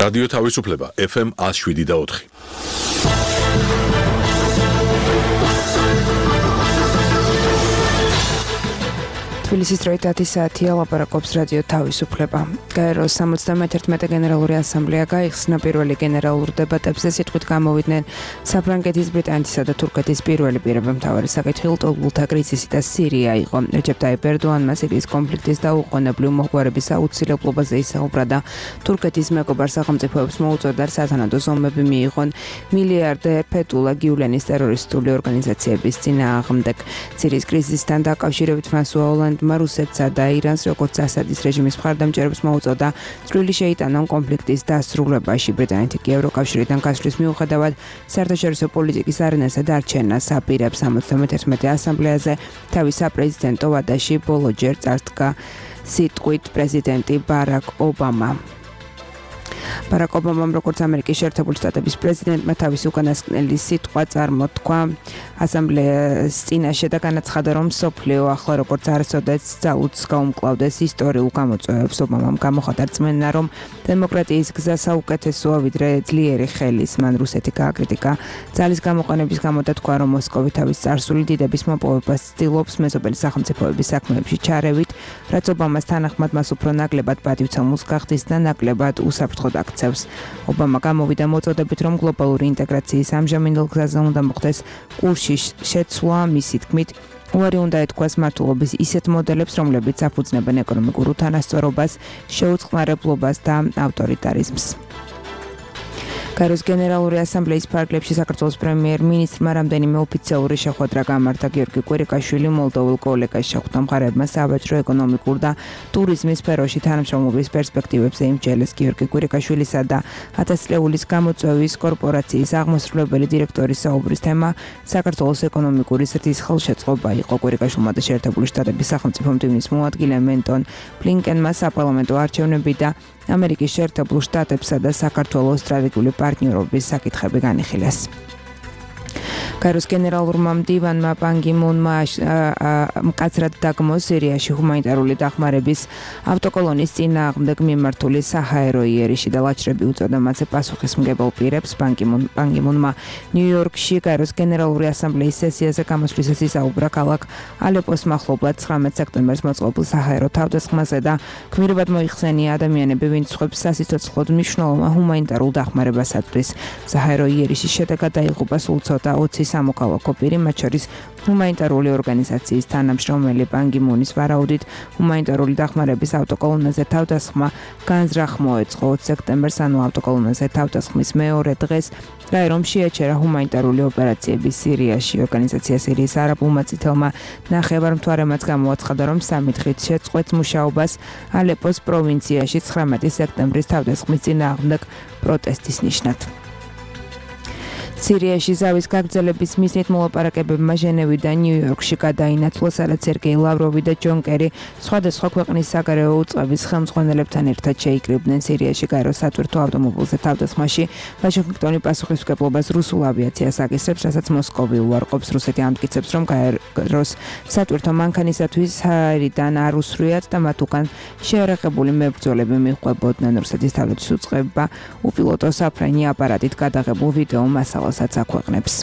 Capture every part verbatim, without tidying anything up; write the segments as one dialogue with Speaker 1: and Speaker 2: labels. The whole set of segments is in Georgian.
Speaker 1: რადიო თავისუფლება ეფ ემ ათს შვიდი და ოთხი.
Speaker 2: თბილისის დროით ათი საათია, ლაპარაკობს რადიო თავისუფლება. გაეროს სამოცდამეთერთმეტე გენერალური ასამბლეა გაიხსნა პირველი გენერალურ დებატებზე სიტყვით გამოვიდნენ საფრანგეთის, ბრიტანეთისა და თურქეთის პირველი პირები. მთავარი საკითხი ლტოლვილთა კრიზისი და სირია იყო. რეჯეპ ტაიპ ერდოანმა სირიის კონფლიქტის დაუყოვნებლივ მოხმარების აუცილებლობაზე ისაუბრა და თურქეთის მეგობარ სახელმწიფოებს მოუწოდა სათანადო ზომები მიიღონ მილიარდერ ფეთულა გიულენის ტერორისტული ორგანიზაციების წინააღმდეგ. სირიის კრიზისთან დაკავშირებით ფრანსუა ოლანდმა რუსეთსა და ირანს როგორც ასადის რეჟიმის მხარდამჭერებს მოუწოდა წვლილი შეიტანონ კონფლიქტის დასრულებაში. ბრიტანეთი კი ევროკავშირიდან გასვლის მიუხედავად საერთაშორისო პოლიტიკის არენაზე დარჩენას აპირებს. სამოცდამეთერთმეტე ასამბლეაზე თავის საპრეზიდენტო ვადაში ბოლო ჯერ წარსდგა სიტყვით პრეზიდენტი ბარაკ ობამა. ბარაკ ობამამ როგორც ამერიკის შეერთებული შტატების პრეზიდენტმა თავის უკანასკნელი სიტყვა წარმოთქვა ასამბლეის წინაშე და განაცხადა, რომ მსოფლიო ახლა როგორც არასოდეს ძალუძს გაუმკლავდეს ისტორიულ გამოწვევებს. ობამამ გამოხატა რწმენა, რომ დემოკრატიის გზა საუკეთესოა ვიდრე ძლიერი ხელის. მან რუსეთი გააკრიტიკა ძალის გამოყენების გამო და თქვა, რომ მოსკოვი თავის წარსული დიდების მოპოვებას ცდილობს მეზობელი სახელმწიფოების საქმეებში ჩარევით, რაც ობამას თანახმად მას უფრო ნაკლებად პატივცემულს გახდის და ნაკლებად უსაფრთხოდ აქცევს. ობამა გამოვიდა მოწოდებით, რომ გლობალური ინტეგრაციის ამჟამინდელ გზაზე უნდა მოხდეს კურსში შეცვლა. მისი თქმით, უარი უნდა ეთქვას მართლობის ისეთ მოდელებს, რომლებიც აფუძნებენ ეკონომიკურ უთანასწორობას, შეუწყნარებლობას და ავტორიტარიზმს. გაეროს გენერალური ასამბლეის ფარგლებში საქართველოს პრემიერ-მინისტრმა რამდენიმე ოფიციალური შეხვედრა გამართა. გიორგი კვირიკაშვილი მოლდოვურ კოლეგას შეხვდა. მხარეებმა სავაჭრო, ეკონომიკურ და ტურიზმის სფეროში თანამშრომლობის პერსპექტივებზე იმჯელეს. გიორგი კვირიკაშვილისა და ათას წლეულის გამოწვევის კორპორაციის აღმასრულებელი დირექტორის საუბრის თემა საქართველოს ეკონომიკური ზრდის ხელშეწყობა იყო. კვირიკაშვილმა და შეერთებული შტატების სახელმწიფო მდივნის მოადგილე მენტონ ბლინკენმა საპარლამენტო არჩევნები და ამერიკის შეერთებულ შტატებსა და საქართველოს სტრატეგიული პარტნიორობის საკითხები განიხილეს. გაეროს გენერალურმა მდივანმა პან კი მუნმა მკაცრად დაგმო სირიაში ჰუმანიტარული დახმარების ავტოკოლონის წინააღმდეგ მიმართული საჰაერო იერიში და ლაჩრები უწოდა მასზე პასუხისმგებელ პირებს. პან კი მუნმა ნიუ-იორკში გაეროს გენერალური ასამბლეის სესიაზე გამოსვლისას ისაუბრა ქალაქ ალეპოს მახლობლად ცხრამეტ სექტემბერს მოწყობილ საჰაერო თავდასხმაზე და გმირებად მოიხსენია ადამიანები, ვინც სხვებს სასიცოცხლოდ მნიშვნელოვან ჰუმანიტარულ დახმარებას აწვდის. საჰაერო იერიშის შედეგად დაიღუპა სულ ცოტა ოცი სამოქალაქო პირი, მათ შორის ჰუმანიტარული ორგანიზაციის თანამშრომელი. პან კი მუნის ვარაუდით ჰუმანიტარული დახმარების ავტოკოლონაზე თავდასხმა განზრახ მოეწყო. ოცი სექტემბერს, ანუ ავტოკოლონაზე თავდასხმის მეორე დღეს გაერომ შეაჩერა ჰუმანიტარული ოპერაციები სირიაში. ორგანიზაცია სირიის არაბულმა წითელმა ნახევარმთვარემაც გამოაცხადა, რომ სამი დღით შეწყვეტს მუშაობას ალეპოს პროვინციაში ცხრამეტი სექტემბრის თავდასხმის წინააღმდეგ პროტესტის ნიშნად. სირიაში ზავის გაგრძელების მიზნით მოლაპარაკებებმა ჟენევიდან ნიუ-იორკში გადაინაცვლა, სადაც სერგეი ლავროვი და ჯონ კერი სხვადასხვა ქვეყნის საგარეო უწყების ხელმძღვანელებთან ერთად შეიკრიბნენ. სირიაში გაეროს სატვირთო ავტომობილზე თავდასხმაში ვაშინგტონი პასუხისმგებლობას რუსულ ავიაციას აკისრებს, რასაც მოსკოვი უარყოფს. რუსეთი ამტკიცებს, რომ გაეროს სატვირთო მანქანისათვის ჰაერიდან არ უსრიათ და მათ უკან შეერაღებული მებრძოლები მიჰყვებოდნენ. რუსეთის თავდაცვის უწყება უპილოტო საფრენი აპარატით გადაღებულ ვიდეო მასალას აქვეყნებს.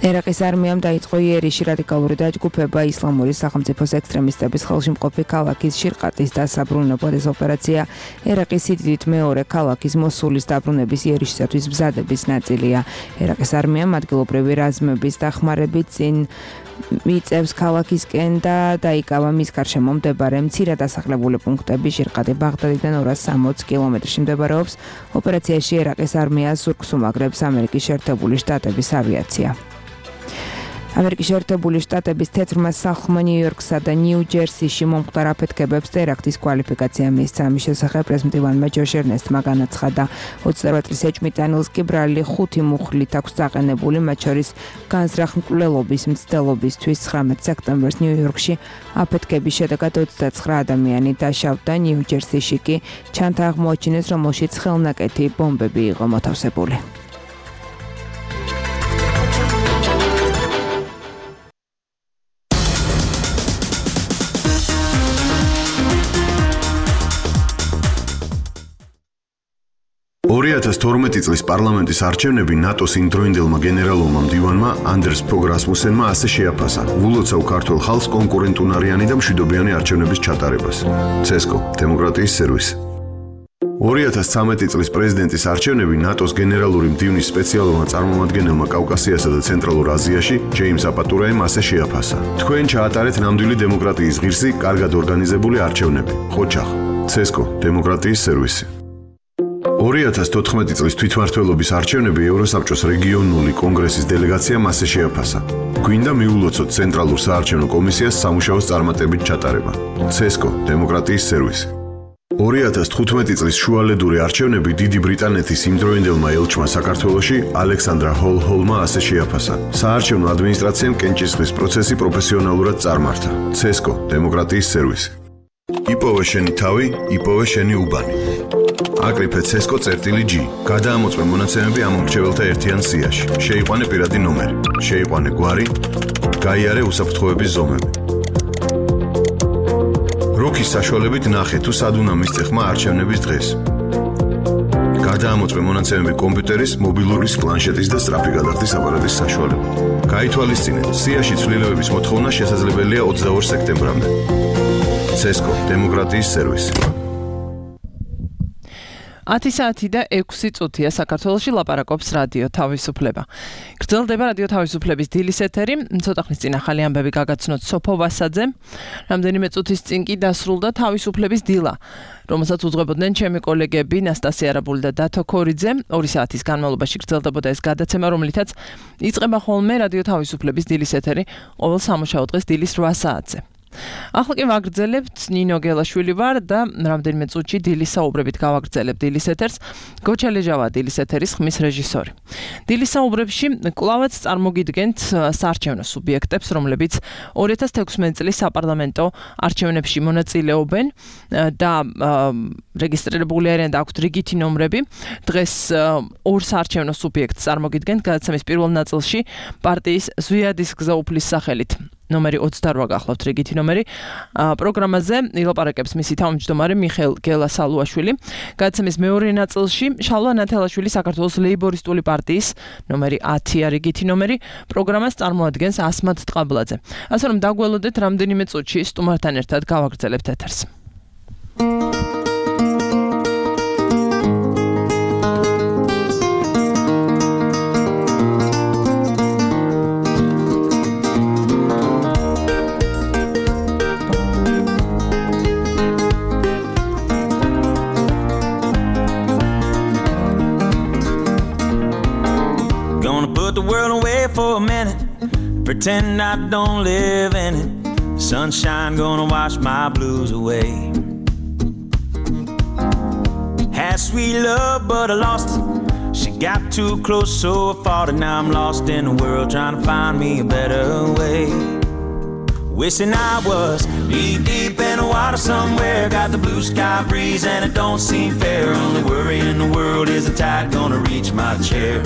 Speaker 2: ერაყის არმიამ დაიწყო იერიში რადიკალური დაჯგუფება ისლამური სახელმწიფოს ექსტრემისტების ხელში მყოფი ქალაქის შირყატის დასაბრუნებლად. ეს ოპერაცია ერაყის სიდიდით მეორე ქალაქის მოსულის დაბრუნების იერიშისათვის მზადების ნაწილია. ერაყის არმიამ ადგილობრივი რაზმების დახმარებით წინ მიწევს ქალაქისკენ და დაიკავა მის გარშემო მდებარე მცირედ დასახლებული პუნქტები. შირყატი ბაღდადიდან ორას სამოცი კილომეტრში მდებარეობს. ოპერაციაში ერაყის არმიას ზურგს უმაგრებს ამერიკის შეერთებული შტატების ავიაცია. ამერიკის შეერთებული შტატების თეთრმა სახლმა ნიუ-იორკსა და ნიუ-ჯერსიში მომხდარ აფეთქებებს ტერაქტის კვალიფიკაცია მისცა. ამის შესახებ პრეზიდენტმა ჯოშ ერნესტმა განაცხადა. ოცდაოთხ წლის ეჭვმიტანილს კი ბრალი ხუთი მუხლით აქვს დაყენებული, მათ შორის განზრახ მკვლელობის მცდელობისთვის. ცხრამეტ სექტემბერს ნიუ-იორკში აფეთქების შედეგად ოცდაცხრა ადამიანი დაშავდა. ნიუ-ჯერსიში კი ჩანთა აღმოაჩინეს, რომელშიც ხელნაკეთი ბომბები იყო მოთავსებული.
Speaker 3: ორი ათას თორმეტი წლის პარლამენტის არჩევნები ნატოს იმდროინდელმა გენერალურმა მდივანმა ანდერს ფოგ რასმუსენმა ასე შეაფასა ულოცავ ქართულ ხალხს კონკურენტუნარიანი და მშვიდობიანი არჩევნების ჩატარებას. ცესკო, დემოკრატიის სერვისი. ორი ათას ცხრამეტი წლის პრეზიდენტის არჩევნები ნატოს გენერალური მდივნის სპეციალურმა წარმომადგენელმა კავკასიასა და ცენტრალურ აზიაში ჯეიმს აპატურაემ ასე შეაფასა. თქვენ ჩაატარეთ ნამდვილი დემოკრატიის ღირსი, კარგად ორგანიზებული არჩევნები. ხოჩახ, ცესკო, დემოკრატიის სერვისი. ორი ათას თოთხმეტი წლის თვითმმართველობის არჩევნები ევროსაბჭოს რეგიონული კონგრესის დელეგაციამ ასე შეაფასა. გვინდა მიულოცოთ ცენტრალურ საარჩევნო კომისიას სამუშაოს წარმატებით ჩატარება. ცესკო, დემოკრატიის სერვისი. ორი ათას თხუთმეტი წლის შუალედური არჩევნები დიდი ბრიტანეთის იმდროინდელმა ელჩმა საქართველოში ალექსანდრა ჰოლ-ჰოლმა ასე შეაფასა. საარჩევნო ადმინისტრაციამ კენჭისყრის პროცესი პროფესიონალურად წარმართა. ცესკო, დემოკრატიის სერვისი. იპოვე შენი თავი, იპოვე შენი უბანი. აკრიფე ცესკო წერტილი G. გადაამოწმე მონაცემები ამ მრჩეველთა ერთიან სიაში. შეიყვანე პირადი ნომერი. შეიყვანე გვარი. გაიარე უსაფრთხოების ზომები. როქის საშუალებით ნახე თუ სად უნდა მისცე ხმა არჩევნების დღეს. გადაამოწმე მონაცემები კომპიუტერის, მობილურის, პლანშეტის და სწრაფი გადახდის აპარატის საშუალებით. გაითვალისწინეთ, სიაში ცვლილებების მოთხოვნა შესაძლებელია ოცდაორ სექტემბრამდე. ცესკო, დემოკრატიის სერვისი.
Speaker 4: ათი საათი და ექვსი წუთია საქართველოში ლაპარაკობს რადიო თავისუფლება. გრძელდება რადიო თავისუფლების დილის ეთერი, ცოტა ხნის წინ ახალი ამბები გაგაცნოთ სოფო ვასაძემ. რამდენიმე წუთის წინ კი დასრულდა თავისუფლების დილა, რომელსაც უძღვებოდნენ ჩემი კოლეგები ნასტასია არაბული და დათო ქორიძე. ორი საათის განმავლობაში გრძელდებოდა ეს გადაცემა, რომლითაც იწყება ხოლმე რადიო თავისუფლების დილის ეთერი ყოველ სამუშაო დღეს დილის რვა საათზე. ახლა კი ვაგრძელებთ ნინო გელაშვილი ვარ და რამდენიმე წუთში დილის საუბრებით გავაგრძელებ დილის ეთერს. გოჩა ლეჟავა დილის ეთერის ხმის რეჟისორი. დილის საუბრებში კვლავაც წარმოგიდგენთ საარჩევნო სუბიექტებს, რომლებიც ორი ათას თექვსმეტი წლის საპარლამენტო არჩევნებში მონაწილეობენ და რეგისტრირებული არიან და აქვთ რიგითი ნომრები. დღეს ორ საარჩევნო სუბიექტს წარმოგიდგენთ გადაცემის პირველ ნაწილში პარტიის ზვიადის გზა უფლის სახელით. ნომერი ოცდარვა გახლავთ რიგითი ნომერი. პროგრამაზე ილაპარაკებს მისი თავმჯდომარე მიხეილ გელასალუაშვილი. გადაცემის მეორე ნაწილში შალვა ნათელაშვილი საქართველოს ლეიბორისტული პარტიის ნომერი ათია რიგითი ნომერი. პროგრამას წარმოადგენს ასმად ტყაბლაძე. ასე რომ დაგველოდეთ რამდენიმე წუთში სტუმართან ერთად გავაგრძელებთ ეთერს.
Speaker 5: The world away for a minute, pretend I don't live in it. Sunshine gonna wash my blues away. Had sweet love but I lost it. She got too close so I fought it. Now I'm lost in the world trying to find me a better way. Wishing I was deep deep in the water somewhere. Got the blue sky breeze and it don't seem fair. Only worry in the world is the tide gonna reach my chair.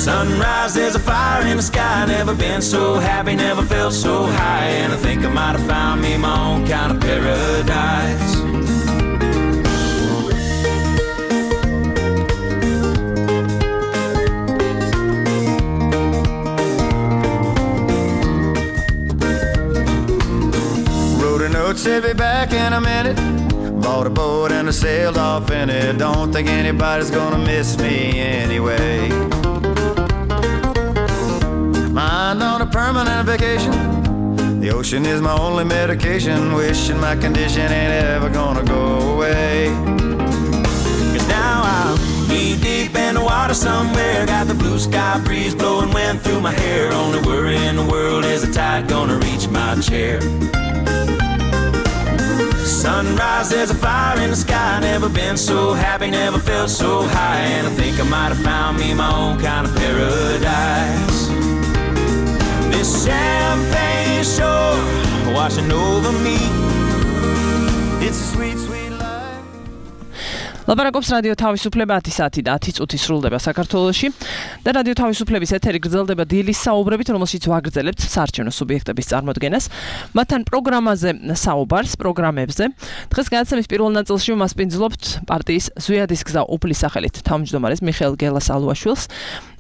Speaker 5: Sunrise, there's a fire in the sky. Never been so happy, never felt so high. And I think I might have found me my own kind of paradise. Wrote a note, said be back in a minute. Bought a boat and I sailed off in it. Don't think anybody's gonna miss me anyway. Mind on a permanent vacation. The ocean is my only medication. Wishing my condition ain't ever gonna go away. Cause now I'm deep deep in the water somewhere. Got the blue sky breeze blowing wind through my hair. Only worry in the world is the tide gonna reach my chair. Sunrise, there's a fire in the sky. Never been so happy, never felt so high. And I think I might have found me my own kind of paradise. This champagne shore washing over me. It's a sweet, sweet life.
Speaker 4: ლაპარაკობს რადიო თავისუფლება ათი საათი და ათი წუთი სრულდება საქართველოში და რადიო თავისუფლების ეთერი გრძელდება დილის საუბრებით, რომელშიც ვაგრძელებთ საარჩევნო სუბიექტების წარმოდგენას, მათთან პროგრამაზე საუბარს, პროგრამებზე. დღეს განაცემის პირველ ნაწილში მასპინძლობთ პარტიის ზვიადის გზა უფლის სახელით თავმჯდომარეს მიხეილ გელას-ალუაშვილს.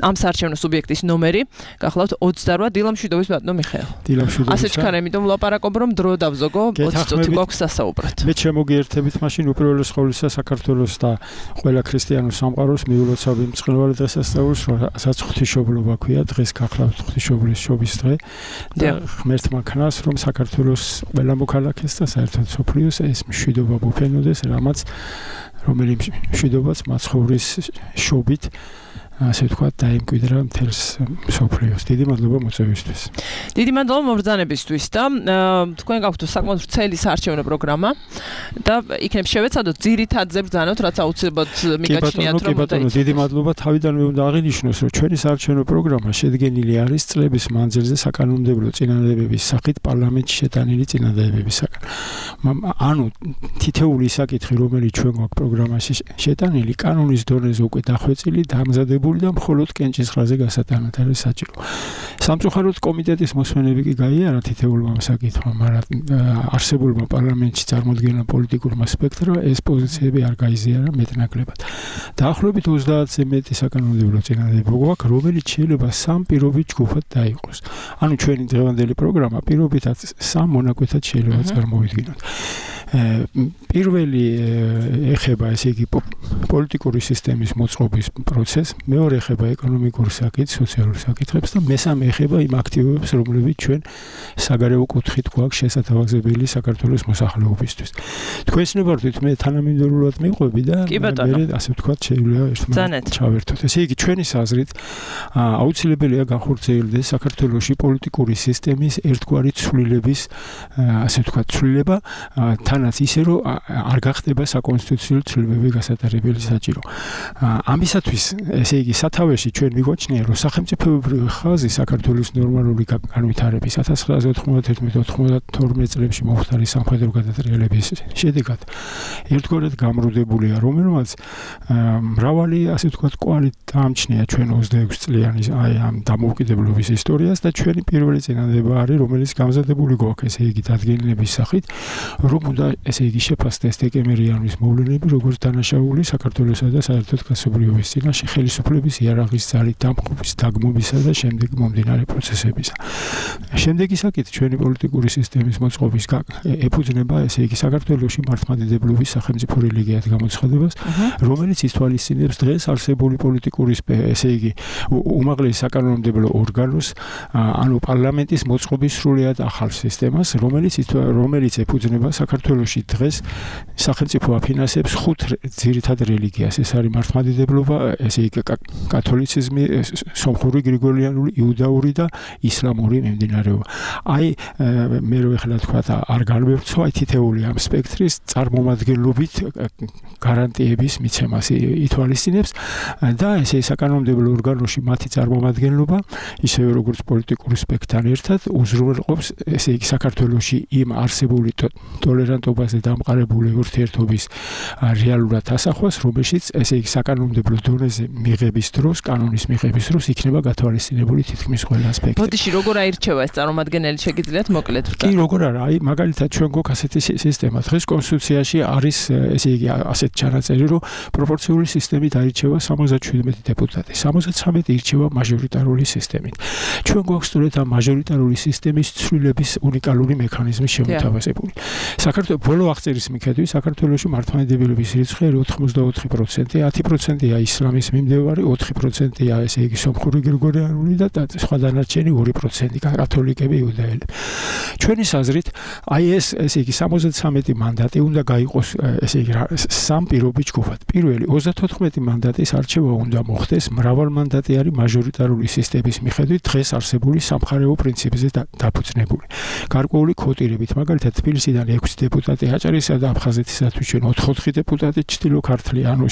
Speaker 4: ამ საარჩევნო სუბიექტის ნომერი გახლავთ ოცდარვა. დილამშვიდობის ბატონო მიხეილ.
Speaker 6: დილამშვიდობის.
Speaker 4: ასე ჩქარ, იმიტომ ვლაპარაკობ, რომ დრო დავზოგო, ოცი წუთი გვაქვს სასაუბრად.
Speaker 6: მე შემოგიერთებით მაშინ უპირველეს ყოვლისა საქართველოს და ყველა ქრისტიანულ სამყაროს მიულოცავი მწყნარი დღესასწაულს, რასაც ღვთისმშობლობა ქვია, დღეს გახლავთ ღვთისმშობლის შობის დღე და ღმერთმა ქნას, რომ საქართველოს ყველა მოქალაქეს და საერთოდ სოფლიოს ეს მშვიდობა მოფენოდეს, რამაც რომელიც მშვიდობაც მაცხოვრის შობით ასე ვთქვათ, დაიმკვიდრა მთელს სოფლიოს. დიდი მადლობა მოწვევისთვის.
Speaker 4: დიდი მადლობა მობრძანებისთვის და თქვენ გაქვთ საკმაოდ ვრცელი საარჩევნო პროგრამა და იქნებ შევეცადოთ ძირითადზე ბრძანოთ, რაც აუცილებლად მიგაჩნიათ, რომ
Speaker 6: მოდი. დიდი მადლობა. თავიდანვე უნდა აღინიშნოს, რომ ჩვენი საარჩევნო პროგრამა შედგენილი არის წლების მანძილზე საკანონმდებლო წინადადებების სახით პარლამენტში შეტანილი წინადადებებისაგან. ანუ თითეული საკითხი, რომელიც ჩვენ გვაქვს პროგრამაში შეტანილი, კანონის დონეზე უკვე დახვეწილი, დამზადებული და მხოლოდ კენჭის ხრაზე გასატანად არის საჭირო. სამწუხაროდ კომიტეტის მოსმენები კი გაიარა თითეულმა საკითხმა, მაგრამ არსებულმა პარლამენტში წარმოქმნილ პოლიტიკურმა სპექტრმა ეს პოზიციები არ გაიზიარა მეტნაკლებად. დაახლოებით ოცდაათზე მეტი საკანონმდებლო წინადადება გვაქვს, რომელიც შეიძლება სამ პირობით ჯგუფად დაიყოს. ანუ ჩვენი დღევანდელი პროგრამა პირობითად სამ მონაკვეთად შეიძლება წარმოვიდგინოთ. პირველი ეხება ესე იგი პოლიტიკური სისტემის მოწყობის პროცესს, მეორე ეხება ეკონომიკურ საკითხებს, სოციალურ საკითხებს და მესამე ეხება იმ აქტივობებს, რომლებიც ჩვენ საგარეო კუთხით გვაქვს შესათავაზებელი საქართველოს მოსახლეობისთვის. თქვენ ცნობართ, მე თანამიმდევრულად მიყვები და მე ასე ვთქვათ, შეიძლება ერთმანეთს ჩავერთოთ. ესე იგი, ჩვენი აზრით აუცილებელია განხორციელდეს საქართველოში პოლიტიკური სისტემის ერთგვარი ცვლილების ასე ვთქვათ, ცვლილება თანაც ისე, რომ არ გახდება საკონსტიტუციო ცვლილებები გასატარებელი საჭირო. ამისათვის ესე იგი სათავეში ჩვენ მიგვაჩნია, რომ სახელმწიფოებრივი ხაზი საქართველოს ნორმალური განვითარების ათას ცხრაასი ოთხმოცდაერთი ოცდათორმეტ წლებში მომხდარი სამხედრო გადატრიალების შედეგად ერთგვარად გამრუდებულია, რომელმაც მრავალი ასე ვთქვათ კვალი დაამჩნია ჩვენ ოცდაექვსი წლიანი აი ამ დამოუკიდებლობის ისტორიას და ჩვენი პირველი წინადადება არის, რომელიც გამზადებული გვაქვს, ესე იგი დადგენილების სახით, რომ უნდა ესე იგი შეფასდეს დეკემბრიანის მოვლენები, როგორც დანაშაული საქართველოსა და საერთოდ კაცობრიობის წინაშე ხელისუფლების იარაღის ძალით დამხობის, დაგმობისა და შემდეგ მომდინარე პროცესებისა. შემდეგი საკითხი ჩვენი პოლიტიკური სისტემის მოწყობის ეფუძნება ესე იგი საქართველოში მართლმადიდებლობის სახელმწიფო რელიგიად გამოცხადებას, რომელიც ითვალისწინებს დღეს არსებული პოლიტიკური ესე იგი უმაღლეს საკანონმდებლო ორგანოს, ანუ პარლამენტის მოწყობის სრულიად ახალ სისტემას, რომელიც რომელიც ეფუძნება საქართველოში დღეს სახელმწიფო აფინანსებს ხუთ ძირითად რელიგიას. ეს არის მართლმადიდებლობა, ესე იგი კათოლიციზმი, სომხური, გრიგორიანული, იუდაური და ისლამური მიმდინარეობა. აი მე რო ეხლა თქვა არ განვერცხო აი თითეული ამ სპექტრის წარმომადგენლობით გარანტიების მიცემას ითვალისწინებს და ესე საკანონმდებლო ორგანოში მათი წარმომადგენლობა ისევე როგორც პოლიტიკური სპექტრთან ერთად უზრუნველყოფს ესე იგი საქართველოში იმ არსებული ტოლერანტობაზე დამყარებული ურთიერთობის რეალურად ასახვას, რომელშიც ესე იგი საკანონმდებლო დონეზე მიღების დროს, კანონის მიღების დროს იქნება გათვალისწინებული თითქმის ყველა ასპექტი.
Speaker 4: ბოდიში როგორ აირჩევა ეს წარმომადგენელი, შეგიძლიათ მოკლედ ვთქვა?
Speaker 6: კი, როგორ არა, აი მაგალითად ჩვენ გვაქვს ასეთი სისტემა. დღეს კონსტიტუციაში არის ესე იგი ასეთ ჩანაწერი, რომ პროპორციული სისტემით აირჩევა სამოცდაშვიდმეტი დეპუტატი, სამოცდათვრამეტი ირჩევა მაჟორიტარული სისტემით. ჩვენ გვაქვს სწორედ ამ მაჟორიტარული სისტემის ცვლილების უნიკალური მექანიზმი შემოთავაზებული. საქართველოს ბოლო აღწერის მიხედვით საქართველოში მართლმადიდებლობის რიცხვი ოთხმოცდაოთხი პროცენტი, ათი პროცენტია ისლამის მიმდევარი, ოთხი პროცენტია ესე იგი სომხური გრიგორიანული და სხვა დანარჩენი ორი პროცენტი კათოლიკები, იუდაელები. ჩვენი აზრით, აი ეს ესე იგი სამოცდათვრამეტი მანდატი უნდა გაიყოს ესე იგი სამ პირობით ჯგუფად. პირველი ოცდათოთხმეტი მანდატის არჩევა უნდა მოხდეს მრავალმანდატიანი მაჟორიტარული სისტემის მიხედვით დღეს არსებული სამხარეო პრინციპზე დაფუძნებული. გარკვეული კვოტირებით, მაგალითად თბილისიდან ექვსი დეპუტატი დეპუტატი აჭარისა და აფხაზეთისათვის ჩვენ ოთხ-ოთხი დეპუტატი, ჩრდილო ქართლი ანუ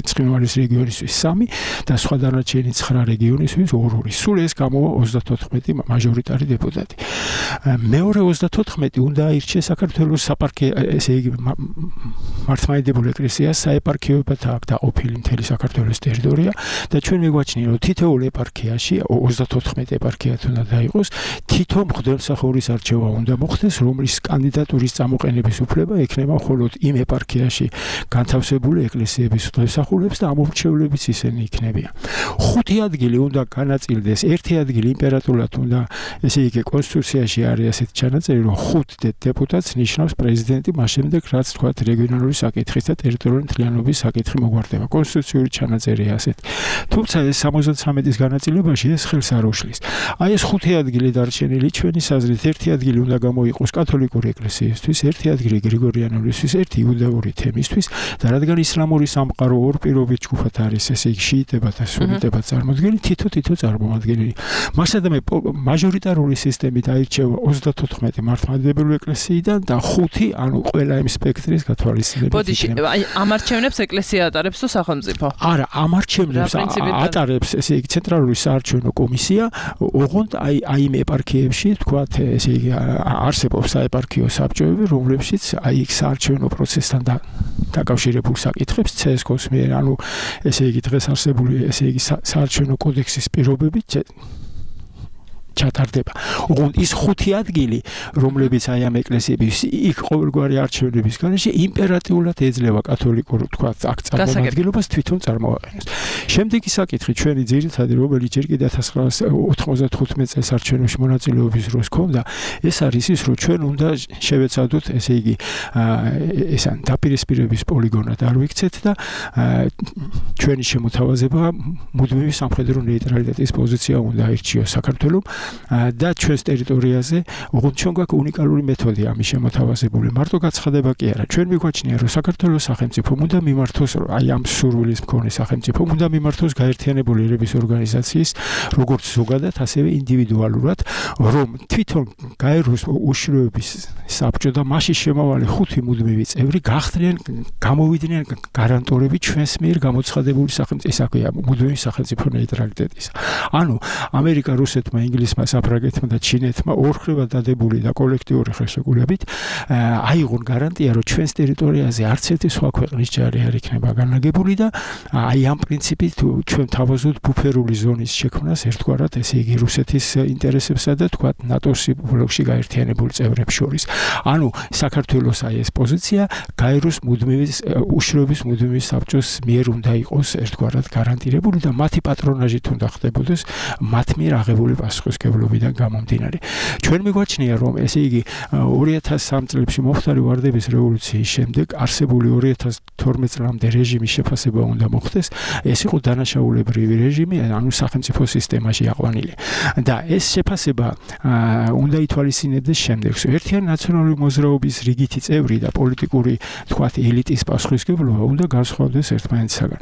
Speaker 6: ცხინვალის რეგიონისთვის სამი და სხვა დანარჩენი ცხრა რეგიონისთვის ორ-ორი. სულ ეს გამოვა ოცდათოთხმეტი მაჟორიტარი დეპუტატი. მეორე ოცდათოთხმეტი უნდა აირჩიეს საქართველოს საპარკე ესე იგი მართლმადიდებლური ეკლესიას საეპარქიოებად აქვს დაყოფილი მთელი საქართველოს ტერიტორია და ჩვენ მიგვაჩნია რომ თითოეულ ეპარქიაში ოცდათოთხმეტი ეპარქია უნდა დაიყოს, თითო მღვდელმსახურის არჩევა უნდა მოხდეს, რომლის კანდიდატურის წამოყენების უფლება ექნება მხოლოდ იმ ეპარქიაში განთავსებული ეკლესიების მღვდელმსახურებს და ამორჩევლებიც ისინი იქნებიან. ხუთი ადგილი უნდა განაწილდეს, ერთი ადგილი იმპერატორად უნდა, ესე იგი კონსტიტუციაში არის ასეთი ჩანაწერი, რომ ხუთ დეპუტატს ნიშნავს პრეზიდენტი, მას შემდეგ რაც თქვა რეგიონალური საკითხის და ტერიტორიული მთლიანობის საკითხი მოგვარდება. კონსტიტუციური ჩანაწერია ასეთი. თუმცა ეს სამოცდათრამეტის განაწილებაში ეს ხელს არ უშლის. აი ეს ხუთი ადგილი დარჩენილი ჩვენი საზრით ერთი ადგილი უნდა გამოიყოს კათოლიკური ეკლესიისთვის, ერთი ადგილი გრიგორიანულისთვის, ერთი იუდაური თემისთვის და რადგან ისლამური სამყარო ორ პირობით ჯგუფად არის, ესე იგი შიიტებად და სუნიტებად წარმოდგენილი, თითო-თითო წარმოადგენილი. მასადამე მაჟორიტარული სისტემით აირჩევა ოცდათოთხმეტი მართლმადიდებლური ეკლესიიდან და ხუთი, ანუ ყველა იმ სპექტრის გათვალისწინებით.
Speaker 4: ბოდიში, აი ამ არჩევნებს ეკლესია ატარებს თუ სახელმწიფო?
Speaker 6: არა, ამ არჩევნებს ატარებს, ესე იგი ცენტრალური საარჩევნო კომისია, ოღონდ აი აი იმ ეპარქიებში, თქვათ, ესე იგი არსებობს საეპარქიო საბჭოები, რომლებშიც აი იქ საარჩევნო პროცესთან დაკავშირებულ საკითხებს ცესკოს მიერ, ანუ ესე იგი დღეს არსებული ესე იგი საარჩევნო კოდექსის პირობებით ჩატარდება. ოღონდ ის ხუთი ადგილი, რომლებიც აი ამ ეკლესიების იქ ყოველგვარი არჩევნების გარეშე იმპერატიულად ეძლევა კათოლიკურ თქვათ აქ წარმომადგენლობას თვითონ წარმოაყენოს. შემდეგი საკითხი ჩვენი ძირითადი, რომელიც ჯერ კიდევ ათას ცხრაასი ოთხმოცდათხუთმეტ წელს არჩევნებში მონაწილეობის დროს ჰქონდა, ეს არის ის, რომ ჩვენ უნდა შევეცადოთ, ესე იგი ეს ან დაპირისპირების პოლიგონად არ ვიქცეთ და ჩვენი შემოთავაზება მუდმივი სამხედრო ნეიტრალიტეტის პოზიცია უნდა აირჩიოს საქართველოს და ჩვენს ტერიტორიაზე, ოღონდ ჩვენ გვაქვს უნიკალური მეთოდი ამის შემოთავაზებული. მარტო გაცხადება კი არა. ჩვენ მიგვაჩნია, რომ საქართველოს სახელმწიფომ უნდა მიმართოს, აი ამ სურვილის მქონე სახელმწიფომ უნდა მიმართოს გაერთიანებული ერების ორგანიზაციის, როგორც ზოგადად, ასევე ინდივიდუალურად, რომ თვითონ გაეროს უშიშროების საბჭო და მასში შემავალი ხუთი მუდმივი წევრი გახდნენ, გამოვიდნენ გარანტორები ჩვენს მიერ გამოცხადებული სახელმწიფო, ეს აქვეა მუდმივი სახელმწიფო ნეიტრალიტეტის. ანუ ამერიკა, რუსეთმა, ინგლისმა, საფრანგეთმა და ჩინეთმა ორხრევად დადებული და კოლექტიური ხელშეკრულებით აიღონ გარანტია, რომ ჩვენს ტერიტორიაზე არც ერთი სხვა ქვეყნის ჯარი არ იქნება განლაგებული და აი ამ პრინციპით ჩვენ თავაზობთ ბუფერული ზონის შექმნას ერთგვარად, ესე იგი რუსეთის ინტერესებსა და თქვათ ნატოს ბლოკში გაერთიანებულ წევრებს შორის. ანუ საქართველოს აი ეს პოზიცია გაეროს მუდმივი უშიშროების მუდმივი საბჭოს მიერ უნდა იყოს ერთგვარად გარანტირებული და მათი პატრონაჟით უნდა ხდებოდეს მათ მიერ აღებული პასუხისმგებლობიდან გამომდინარე. ჩვენ მიგვაჩნია, რომ ესე იგი ორი ათას სამი წლებში მომხდარი ვარდების რევოლუციის შემდეგ არსებული ორი ათას თორმეტ წლამდე რეჟიმის შეფასება უნდა მოხდეს. ეს იყო დანაშაულებრივი რეჟიმი, ანუ სახელმწიფო სისტემაში აყვანილი. და ეს შეფასება უნდა ითვალისწინებდეს შემდეგს. ერთიანი ნაციონალური მოძრაობის რიგითი წევრი და პოლიტიკური, თქვათ, ელიტის პასუხისმგებლობა უნდა განსხვავდეს ერთმანეთისაგან.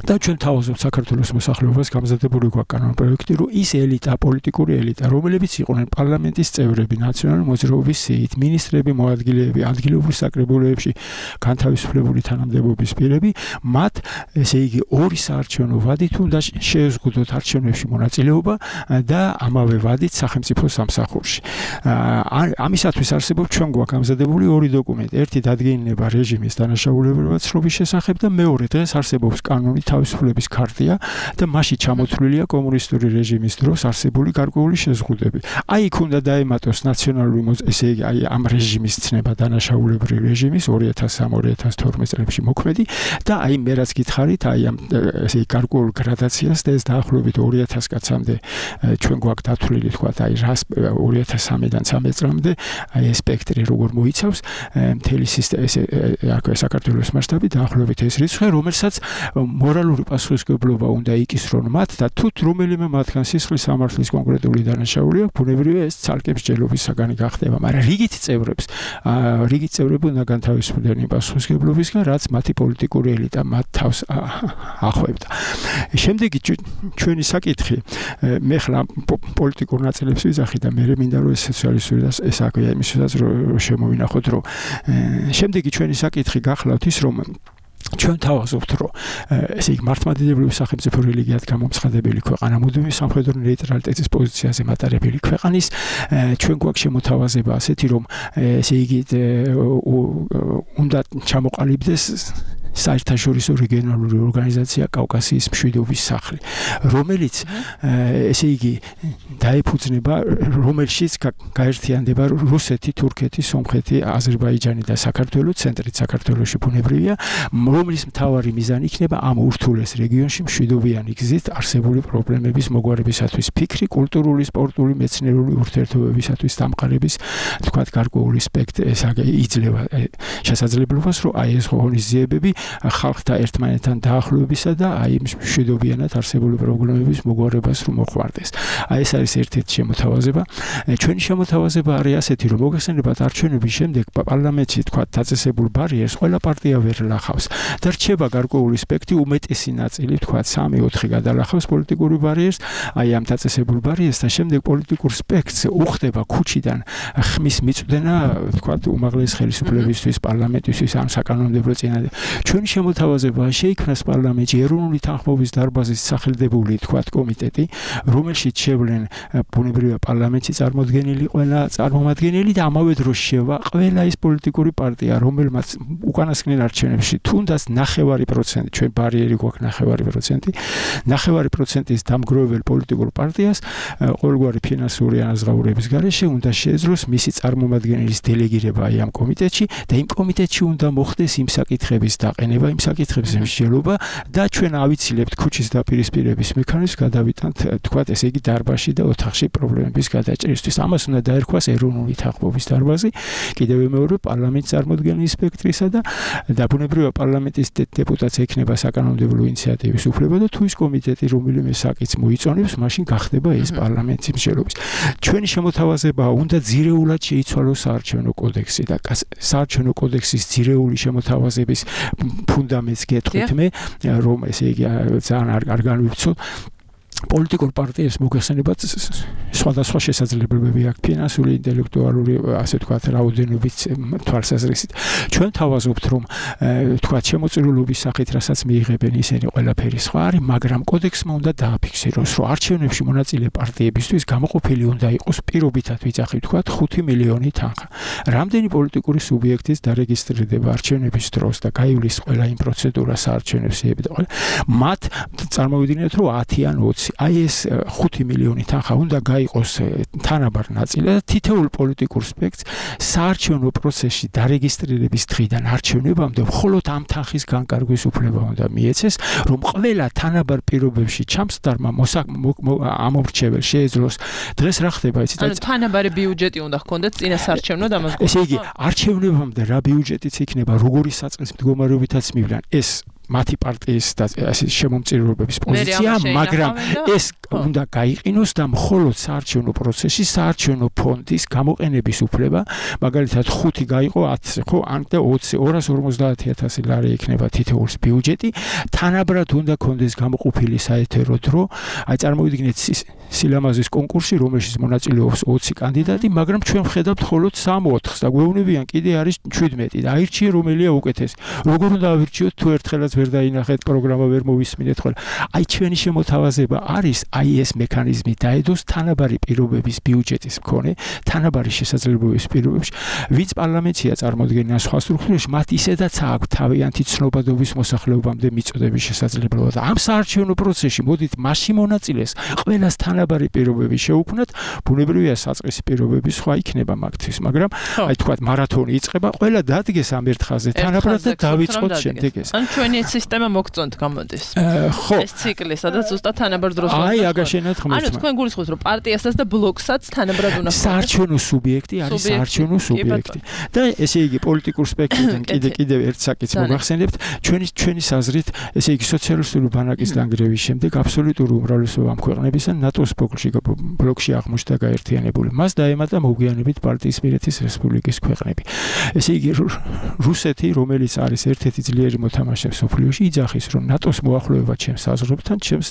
Speaker 6: და ჩვენ თავაზობთ საქართველოს მოსახლეობას გამზადებული გვაქვს კანონპროექტი, რომ ის ელიტა, პოლიტიკური ელიტა, რომლებიც იყვნენ პარლამენტის წევრები, ნაციონალური მოძრაობის სიით, მინისტრები, მოადგილეები, ადგილობრივ საკრებულოებში განთავისუფლებული თანამდებობის პირები, მათ ესე იგი ორი საარჩევნო ვადით უნდა შეეზღუდოთ არჩევნებში მონაწილეობა და ამავე ვადით სახელმწიფო სამსახურში. ამისათვის არსებობს ჩვენ გვაქვს გამზადებული ორი დოკუმენტი. ერთი დადგენილება რეჟიმის დანაშაულებრივად ცნობის შესახებ და მეორე დღეს არსებობს კანონი თავისუფლების ქარტია და მასში ჩამოთვლილია კომუნისტური რეჟიმის დროს არსებული გარკვეული შეზღუდვები. აი იქ უნდა დაემატოს ნაციონალური ესე იგი აი ამ რეჟიმის ცნება დანაშაულებრივი რეჟიმის ორი ათას სამი ორი ათას თორმეტ წლებში მოქმედი და აი მე რაც გითხარით, აი ამ ესე იგი გარკვეულ გრადაციას და ეს დაახლოებით ორი ათას კაცამდე ჩვენ გვაქვს დათვლილი, თქვათ, აი რას ორი ათას სამიდან ცხრამეტ წლამდე აი ეს სპექტრი როგორ მოიცავს მთელი სისტემა, ეს საქართველოს მასშტაბით დაახლოებით ეს რიცხვი, რომელსაც გენერალური პასუხისმგებლობა უნდა იქისრონ მათ და თუ რომელიმე მათგან სისხლის სამართლის კონკრეტული დანაშაული აქვს, ბუნებრივია ეს ცალკე მსჯელობის საგანი გახდება, მაგრამ რიგით წევრებს, რიგით წევრები უნდა განთავისუფლდნენ იმ პასუხისმგებლობისგან, რაც მათი პოლიტიკური ელიტა მათ თავს ახვევდა. შემდეგი ჩვენი საკითხი, მე ხლა პოლიტიკურ ნაწილებს ვიზახი და მე მინდა რომ ეს სოციალისტური და ეს აქვეა იმისათვის რომ შემოვინახოთ, რომ შემდეგი ჩვენი საკითხი გახლავთ ის, რომ ჩვენ თავაზობთ, რომ ესე იგი მართლმადიდებლური სახელმწიფო რელიგიად გამომცხადებელი ქვეყანა, მუდმივი სამხედრო ნეიტრალიტეტის პოზიციაზე მატარებელი ქვეყანის, ჩვენ გვაქვს შემოთავაზება ასეთი, რომ ესე იგი უნდა ჩამოყალიბდეს საერთაშორისო რეგიონალური ორგანიზაცია კავკასიის მშვიდობის სახლი, რომელიც ესე იგი დაეფუძნება, რომელშიც გაერთიანდება რუსეთი, თურქეთი, სომხეთი, აზერბაიჯანი და საქართველო, ცენტრით საქართველოში ბუნებრივია, რომლის მთავარი მიზანი იქნება ამ ურთულეს რეგიონში მშვიდობიანი გზით არსებული პრობლემების მოგვარებისათვის, ფიქრი, კულტურული, სპორტული, მეცნიერული ურთიერთობებისათვის დამყარების, თქვათ, გარკვეული სპექტრი იძლევა შესაძლებლობას, რომ აი ეს ღონისძიებები ხალხთა ერთმანეთთან დაახლოებისა და აი მშვიდობიანად არსებული პრობლემების მოგვარებას რომ მოხმარდეს. აი ეს არის ერთ-ერთი შემოთავაზება. ჩვენი შემოთავაზება არის ასეთი, რომ მოგეხსენებათ არჩევნების შემდეგ პარლამენტში თქვა დაწესებულ ბარიერს ყველა პარტია ვერ ლახავს და რჩება გარკვეული სპექტრი, უმეტესი ნაწილი თქვა სამი ოთხი გადალახავს პოლიტიკური ბარიერს, აი ამ დაწესებულ ბარიერს და შემდეგ პოლიტიკურ სპექტრს უხდება ქუჩიდან ხმის მიწვდენა თქვა უმაღლეს ხელისუფლებისთვის, პარლამენტისთვის ამ საკანონმდებლო წინადად. ჩვენი შემოთავაზება შეიქმნას პარლამენტში ეროვნული თანხმობის დარბაზის სახელდებული თქვათ კომიტეტი, რომელშიც შევლენ ბუნებრივია პარლამენტში წარმოდგენილი ყველა წარმომადგენელი და ამავე დროს შევა ყველა ის პოლიტიკური პარტია, რომელმაც უკანასკნელ არჩევნებში თუნდაც ნახევარი პროცენტი, ჩვენ ბარიერი გვაქვს ნახევარი პროცენტი, ნახევარი პროცენტის დამგროვებელ პოლიტიკურ პარტიას ყოველგვარი ფინანსური ანაზღაურების გარეშე უნდა შეეძლოს მისი წარმომადგენლის დელეგირება აი ამ კომიტეტში და იმ კომიტეტში უნდა მოხდეს იმ საკითხების დაყენება, იმ საკითხების მსჯელობა და ჩვენ ავიცილებთ ქუჩის დაპირისპირების მექანიზმს გადავიტანთ თქვათ ესე იგი დარბაზში და ოთახში პრობლემების გადაჭრისთვის. ამას უნდა დაერქვას ეროვნული თანხმობის დარბაზი, კიდევ მეორე პარლამენტის წარმოდგენილი სპექტრისა და დაბუნებრივია პარლამენტის დეპუტატს ექნება საკანონმდებლო ინიციატივის უფლება და თუ ის კომიტეტი რომელიმე საკითხს მოიწონებს, მაშინ გახდება ეს პარლამენტის მსჯელობის. ჩვენი შემოთავაზება უნდა ძირეულად შეიცვალოს საარჩევნო კოდექსი და საარჩევნო კოდექსის ძირეული შემოთავაზების ფუნდამენტს გეტყვით მე, რომ ესე იგი ძალიან არ განვიცოთ პოლიტიკურ პარტიებს მოგეხსენებათ სხვადასხვა შესაძლებლობები აქვს ფინანსური, ინტელექტუალური, ასე ვთქვათ, რაოდენობის თვალსაზრისით. ჩვენ თავაზობთ, რომ ვთქვათ, შემოწირულობის სახით, რასაც მიიღებენ ისინი ყველაფერი სხვა არის, მაგრამ კოდექსმა უნდა დააფიქსიროს, რომ არჩევნებში მონაწილე პარტიებისთვის გამოყოფილი უნდა იყოს პირობითად ვიძახი ვთქვათ ხუთი მილიონი თანხა. რამდენი პოლიტიკური სუბიექტის დარეგისტრირდება არჩევნების დროს და გაივლის ყველა იმ პროცედურას საარჩევნებს და მათ წარმოვიდგინეთ, რომ ათი ან ოცი აი ეს ხუთი მილიონი თანხა უნდა გაიყოს თანაბარ ნაწილი და თითოეულ პოლიტიკურ სპექტრს საარჩევნო პროცესში დარეგისტრირების დღიდან არჩევნებამდე მხოლოდ ამ თანხის განკარგვის უფლება უნდა მიეცეს, რომ ყველა თანაბარ პირობებში ჩამსდარმა ამომრჩეველს შეეძლოს. დღეს რა ხდება იცით?
Speaker 4: ანუ თანაბარი ბიუჯეტი უნდა ჰქონდეთ წინა საარჩევნო დამაზგურებაში.
Speaker 6: ესე იგი, არჩევნებამდე რა ბიუჯეტიც იქნება, როგორი საწყის მდგომარეობითაც მივლან, ეს მათი პარტიის და ასე შემომწირულობების პოზიცია, მაგრამ ეს უნდა გაიყინოს და მხოლოდ საარჩევნო პროცესში საარჩევნო ფონდის გამოყენების უფლება, მაგალითად ხუთი გაიყო ათზე, ხო, ან და ოცი, ორას ორმოცდაათი ათასი ლარი იქნება თითოეულს ბიუჯეტი, თანაბრად უნდა კონდეს გამოყოფილი საეთერო დრო, აი წარმოვიდგინეთ სილამაზის კონკურსი, რომელშიც მონაწილეობს ოცი კანდიდატი, მაგრამ ჩვენ ვხედავთ მხოლოდ სამ ოთხს და გვეუბნებიან კიდე არის შვიდმეტი და აირჩიე რომელია უკეთესი. როგორ უნდა ავირჩიოთ თუ ერთხელაც ვერ დაინახეთ პროგრამა ვერ მოვისმინეთ ხოლმე. აი ჩვენი შემოთავაზება არის აი ეს მექანიზმი დაედოს თანაბარი პირობების ბიუჯეტის მქონე, თანაბარი შესაძლებლობების პირობებში, ვინც პარლამენტია წარმოადგენენ სხვა სტრუქტურებში, მათ ისედაც აქვს თავიანთი ცნობადობის მოსახლეობამდე მიწოდების შესაძლებლობა და ამ საარჩევნო პროცესში მოდით მასში მონაწილეს ყველას თანაბარი თანაბარი პირობები შეუქმნათ, ბუნებრივია საწყისი პირობები სხვა იქნება მაგთვის, მაგრამ აი თქვა მარათონი იწყება, ყველა დადგეს ამ ერთ ხაზზე, თანაბრად და დავიწყოთ შემდეგ ეს.
Speaker 4: ან ჩვენი სისტემა მოგწონთ გამოდის.
Speaker 6: ხო.
Speaker 4: ეს ციკლი, სადაც ზუსტად თანაბარ დროს მოხდა.
Speaker 6: აი, აგაშენათ ღმერთმა.
Speaker 4: ანუ თქვენ გულისხმობთ, რომ პარტიასაც და ბლოკსაც თანაბრად უნდა
Speaker 6: საარჩევნო სუბიექტი არის საარჩევნო სუბიექტი. და ესე იგი პოლიტიკურ სპექტრიდან კიდე კიდევ ერთ საკითხს მოგახსენებთ, ჩვენი ჩვენი საზრით, ესე იგი სოციალისტური ბანაკის დანგრევის შემდეგ აბსოლუტური უმრავლესობა ამ ქვეყნებისა ნატოს ბლოკში ბლოკში აღმოჩნდა გაერთიანებული. მას დაემატა მოგვიანებით პარტიისპირეთის რესპუბლიკის ქვეყნები. ესე იგი რუსეთი, რომელიც არის ერთ-ერთი ძლიერი მოთამაშე მსოფლიოში, იძახის, რომ ნატოს მოახლოება ჩემს საზღვრებთან, ჩემს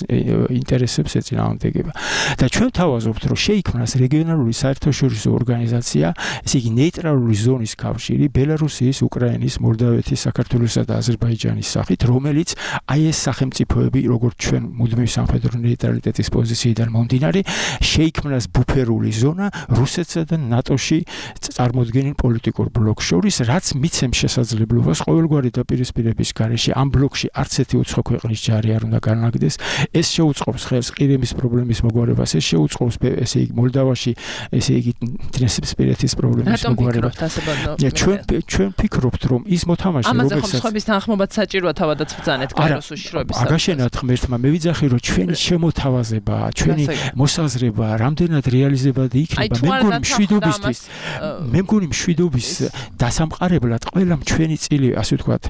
Speaker 6: ინტერესებს ეწინააღმდეგება. და ჩვენ თავაზობთ, რომ შეიქმნას რეგიონალური საერთაშორისო ორგანიზაცია, ესე იგი ნეიტრალური ზონის კავშირი ბელარუსიის, უკრაინის, მოლდავეთის, საქართველოსა და აზერბაიჯანის სახით, რომელიც აი ეს სახელმწიფოები, როგორც ჩვენ მუდმივ სამხედრო ნეიტრალიტეტის პოზიციიდან მომდინარე, შეიქმნას ბუფერული ზონა რუსეთსა და ნატოში წარმოდგენილ პოლიტიკურ ბლოკს შორის, რაც მიცემს შესაძლებლობას ყოველგვარი დაპირისპირების გარეშე ამ ბლოკში არც ერთი უცხო ქვეყნის ჯარი არ უნდა განაგდეს. ეს შეუწყობს ხელს ყირიმის პრობლემის მოგვარებას, ეს შეუწყობს ესე იგი მოლდავაში, ესე იგი ტრანსპირეთის პრობლემის მოგვარებას. ჩვენ ჩვენ ფიქრობთ, რომ ის მოთამაშე,
Speaker 4: რომელსაც ამაზე ხომ სხვების თანხმობაც საჭიროა თავადაც ბრძანეთ კაიროს უშიშროების.
Speaker 6: აგაშენათ ღმერთმა, მე ვიძახი, რომ ჩვენი შემოთავაზება, ჩვენი მოსაზრება რამდენად რეალიზებადი იქნება, მე მგონი მშვიდობისთვის, მე მგონი მშვიდობის დასამყარებლად ყველა ჩვენი წილი, ასე ვთქვათ,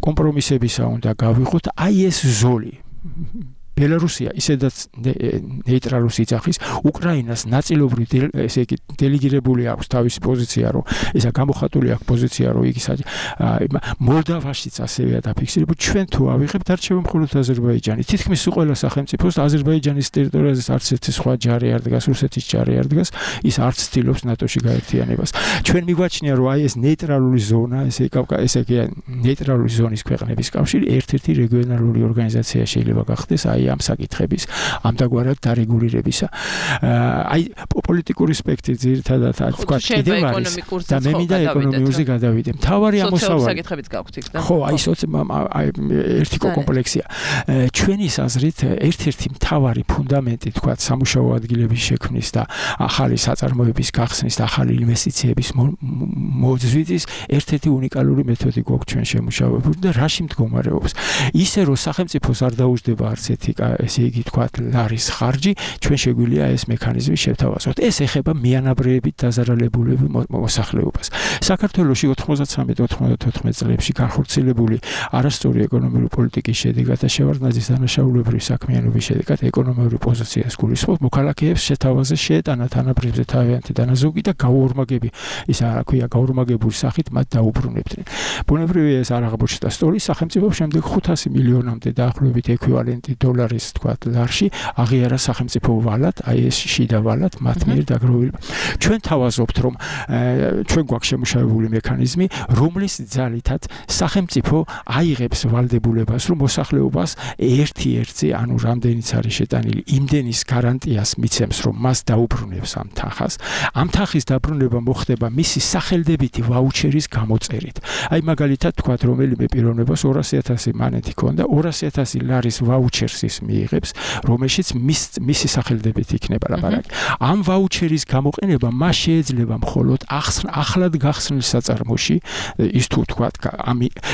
Speaker 6: კომპრომისებისა უნდა გავიღოთ, აი ეს ზოლი. ბელარუსია ისედაც ნეიტრალურს იძახის, უკრაინას ნაწილობრივ ესე იგი დელეგირებული აქვს თავისი პოზიცია, რომ ესა გამოხატული აქვს პოზიცია, რომ იგი მოლდავაშიც ასევეა დაფიქსირებული. ჩვენ თუ ავიღებთ არჩევა მხოლოდ აზერბაიჯანი. თითქმის ყველა სახელმწიფოს აზერბაიჯანის ტერიტორიაზე არც ერთი სხვა ჯარი არ დგას, რუსეთის ჯარი არ დგას, ის არც ცდილობს ნატოში გაერთიანებას. ჩვენ მიგვაჩნია, რომ აი ეს ნეიტრალური ზონა, ესე ესე იგი ნეიტრალური ზონის ქვეყნების კავშირი ერთ-ერთი რეგიონალური ორგანიზაცია შეიძლება გახდეს აი ამ საკითხების ამდაგვარად დარეგულირებისა. აი პოლიტიკური სპექტრი ძირითადად თქვა კიდევ არის და მე მინდა ეკონომიურზე გადავიდე. მთავარი ამოსავალი
Speaker 4: საკითხებიც გაქვთ იქ და
Speaker 6: ხო, აი აი ერთი კომპლექსია. ჩვენი საზრით ერთ-ერთი მთავარი ფუნდამენტი თქვა სამუშაო ადგილების შექმნის და ახალი საწარმოების გახსნის და ახალი ინვესტიციების მოძვრის ერთ-ერთი უნიკალური მეთოდი გვაქვს ჩვენ შემუშავებული და რაში მდგომარეობს? ისე რომ სახელმწიფოს არ დაუждდება არც ერთი ესე იგი თქვა ლარის ხარჯი, ჩვენ შეგვიძლია ეს მექანიზმი შევთავაზოთ. ეს ეხება მიანაბრეებით დაზარალებულები მოსახლეობას. საქართველოში ოთხმოცდათრამეტ ოთხმოცდათოთხმეტ წლებში განხორციელებული არასწორი ეკონომიკური პოლიტიკის შედეგად და შევარდნაძის დანაშაულებრივი საქმიანობის შედეგად ეკონომიური პოზიციას გულისხმობს, მოქალაქეებს შეთავაზეს შეეტანა თანაბრებზე თავიანთი დანაზოგი და გაუორმაგები, ისა რა ქვია, გაუორმაგებული სახით მათ დაუბრუნებდნენ. ბუნებრივია ეს არ აღმოჩნდა სტოლის სახელმწიფო შემდეგ ხუთასი მილიონამდე დაახლოებით ექვივალენტი დოლარის თქვა ლარში აღიარა სახელმწიფო ვალად, აი ეს შიდა ვალად მათ მიერ დაგროვილი. ჩვენ თავაზობთ, რომ ჩვენ გვაქვს შემუშავებული მექანიზმი, რომლის ძალითაც სახელმწიფო აიღებს ვალდებულებას, რომ მოსახლეობას ერთი-ერთი, ანუ რამდენიც არის შეტანილი, იმდენის გარანტიას მიცემს, რომ მას დაუბრუნებს ამ თანხას. ამ თანხის დაბრუნება მოხდება მისი სახელდებითი ვაუჩერის გამოწერით. აი მაგალითად თქვა, რომელიმე პიროვნებას ორასი ათასი მანეთი ქონდა, ორასი ათასი ლარის ვაუჩერს ის მიიღებს, რომელშიც მისი სახელდებით იქნება ლაპარაკი. ამ ვაუჩერის გამოყენება მას შეიძლება მხოლოდ ახლად გახსნილ საწარმოში, ის თუ თქვა,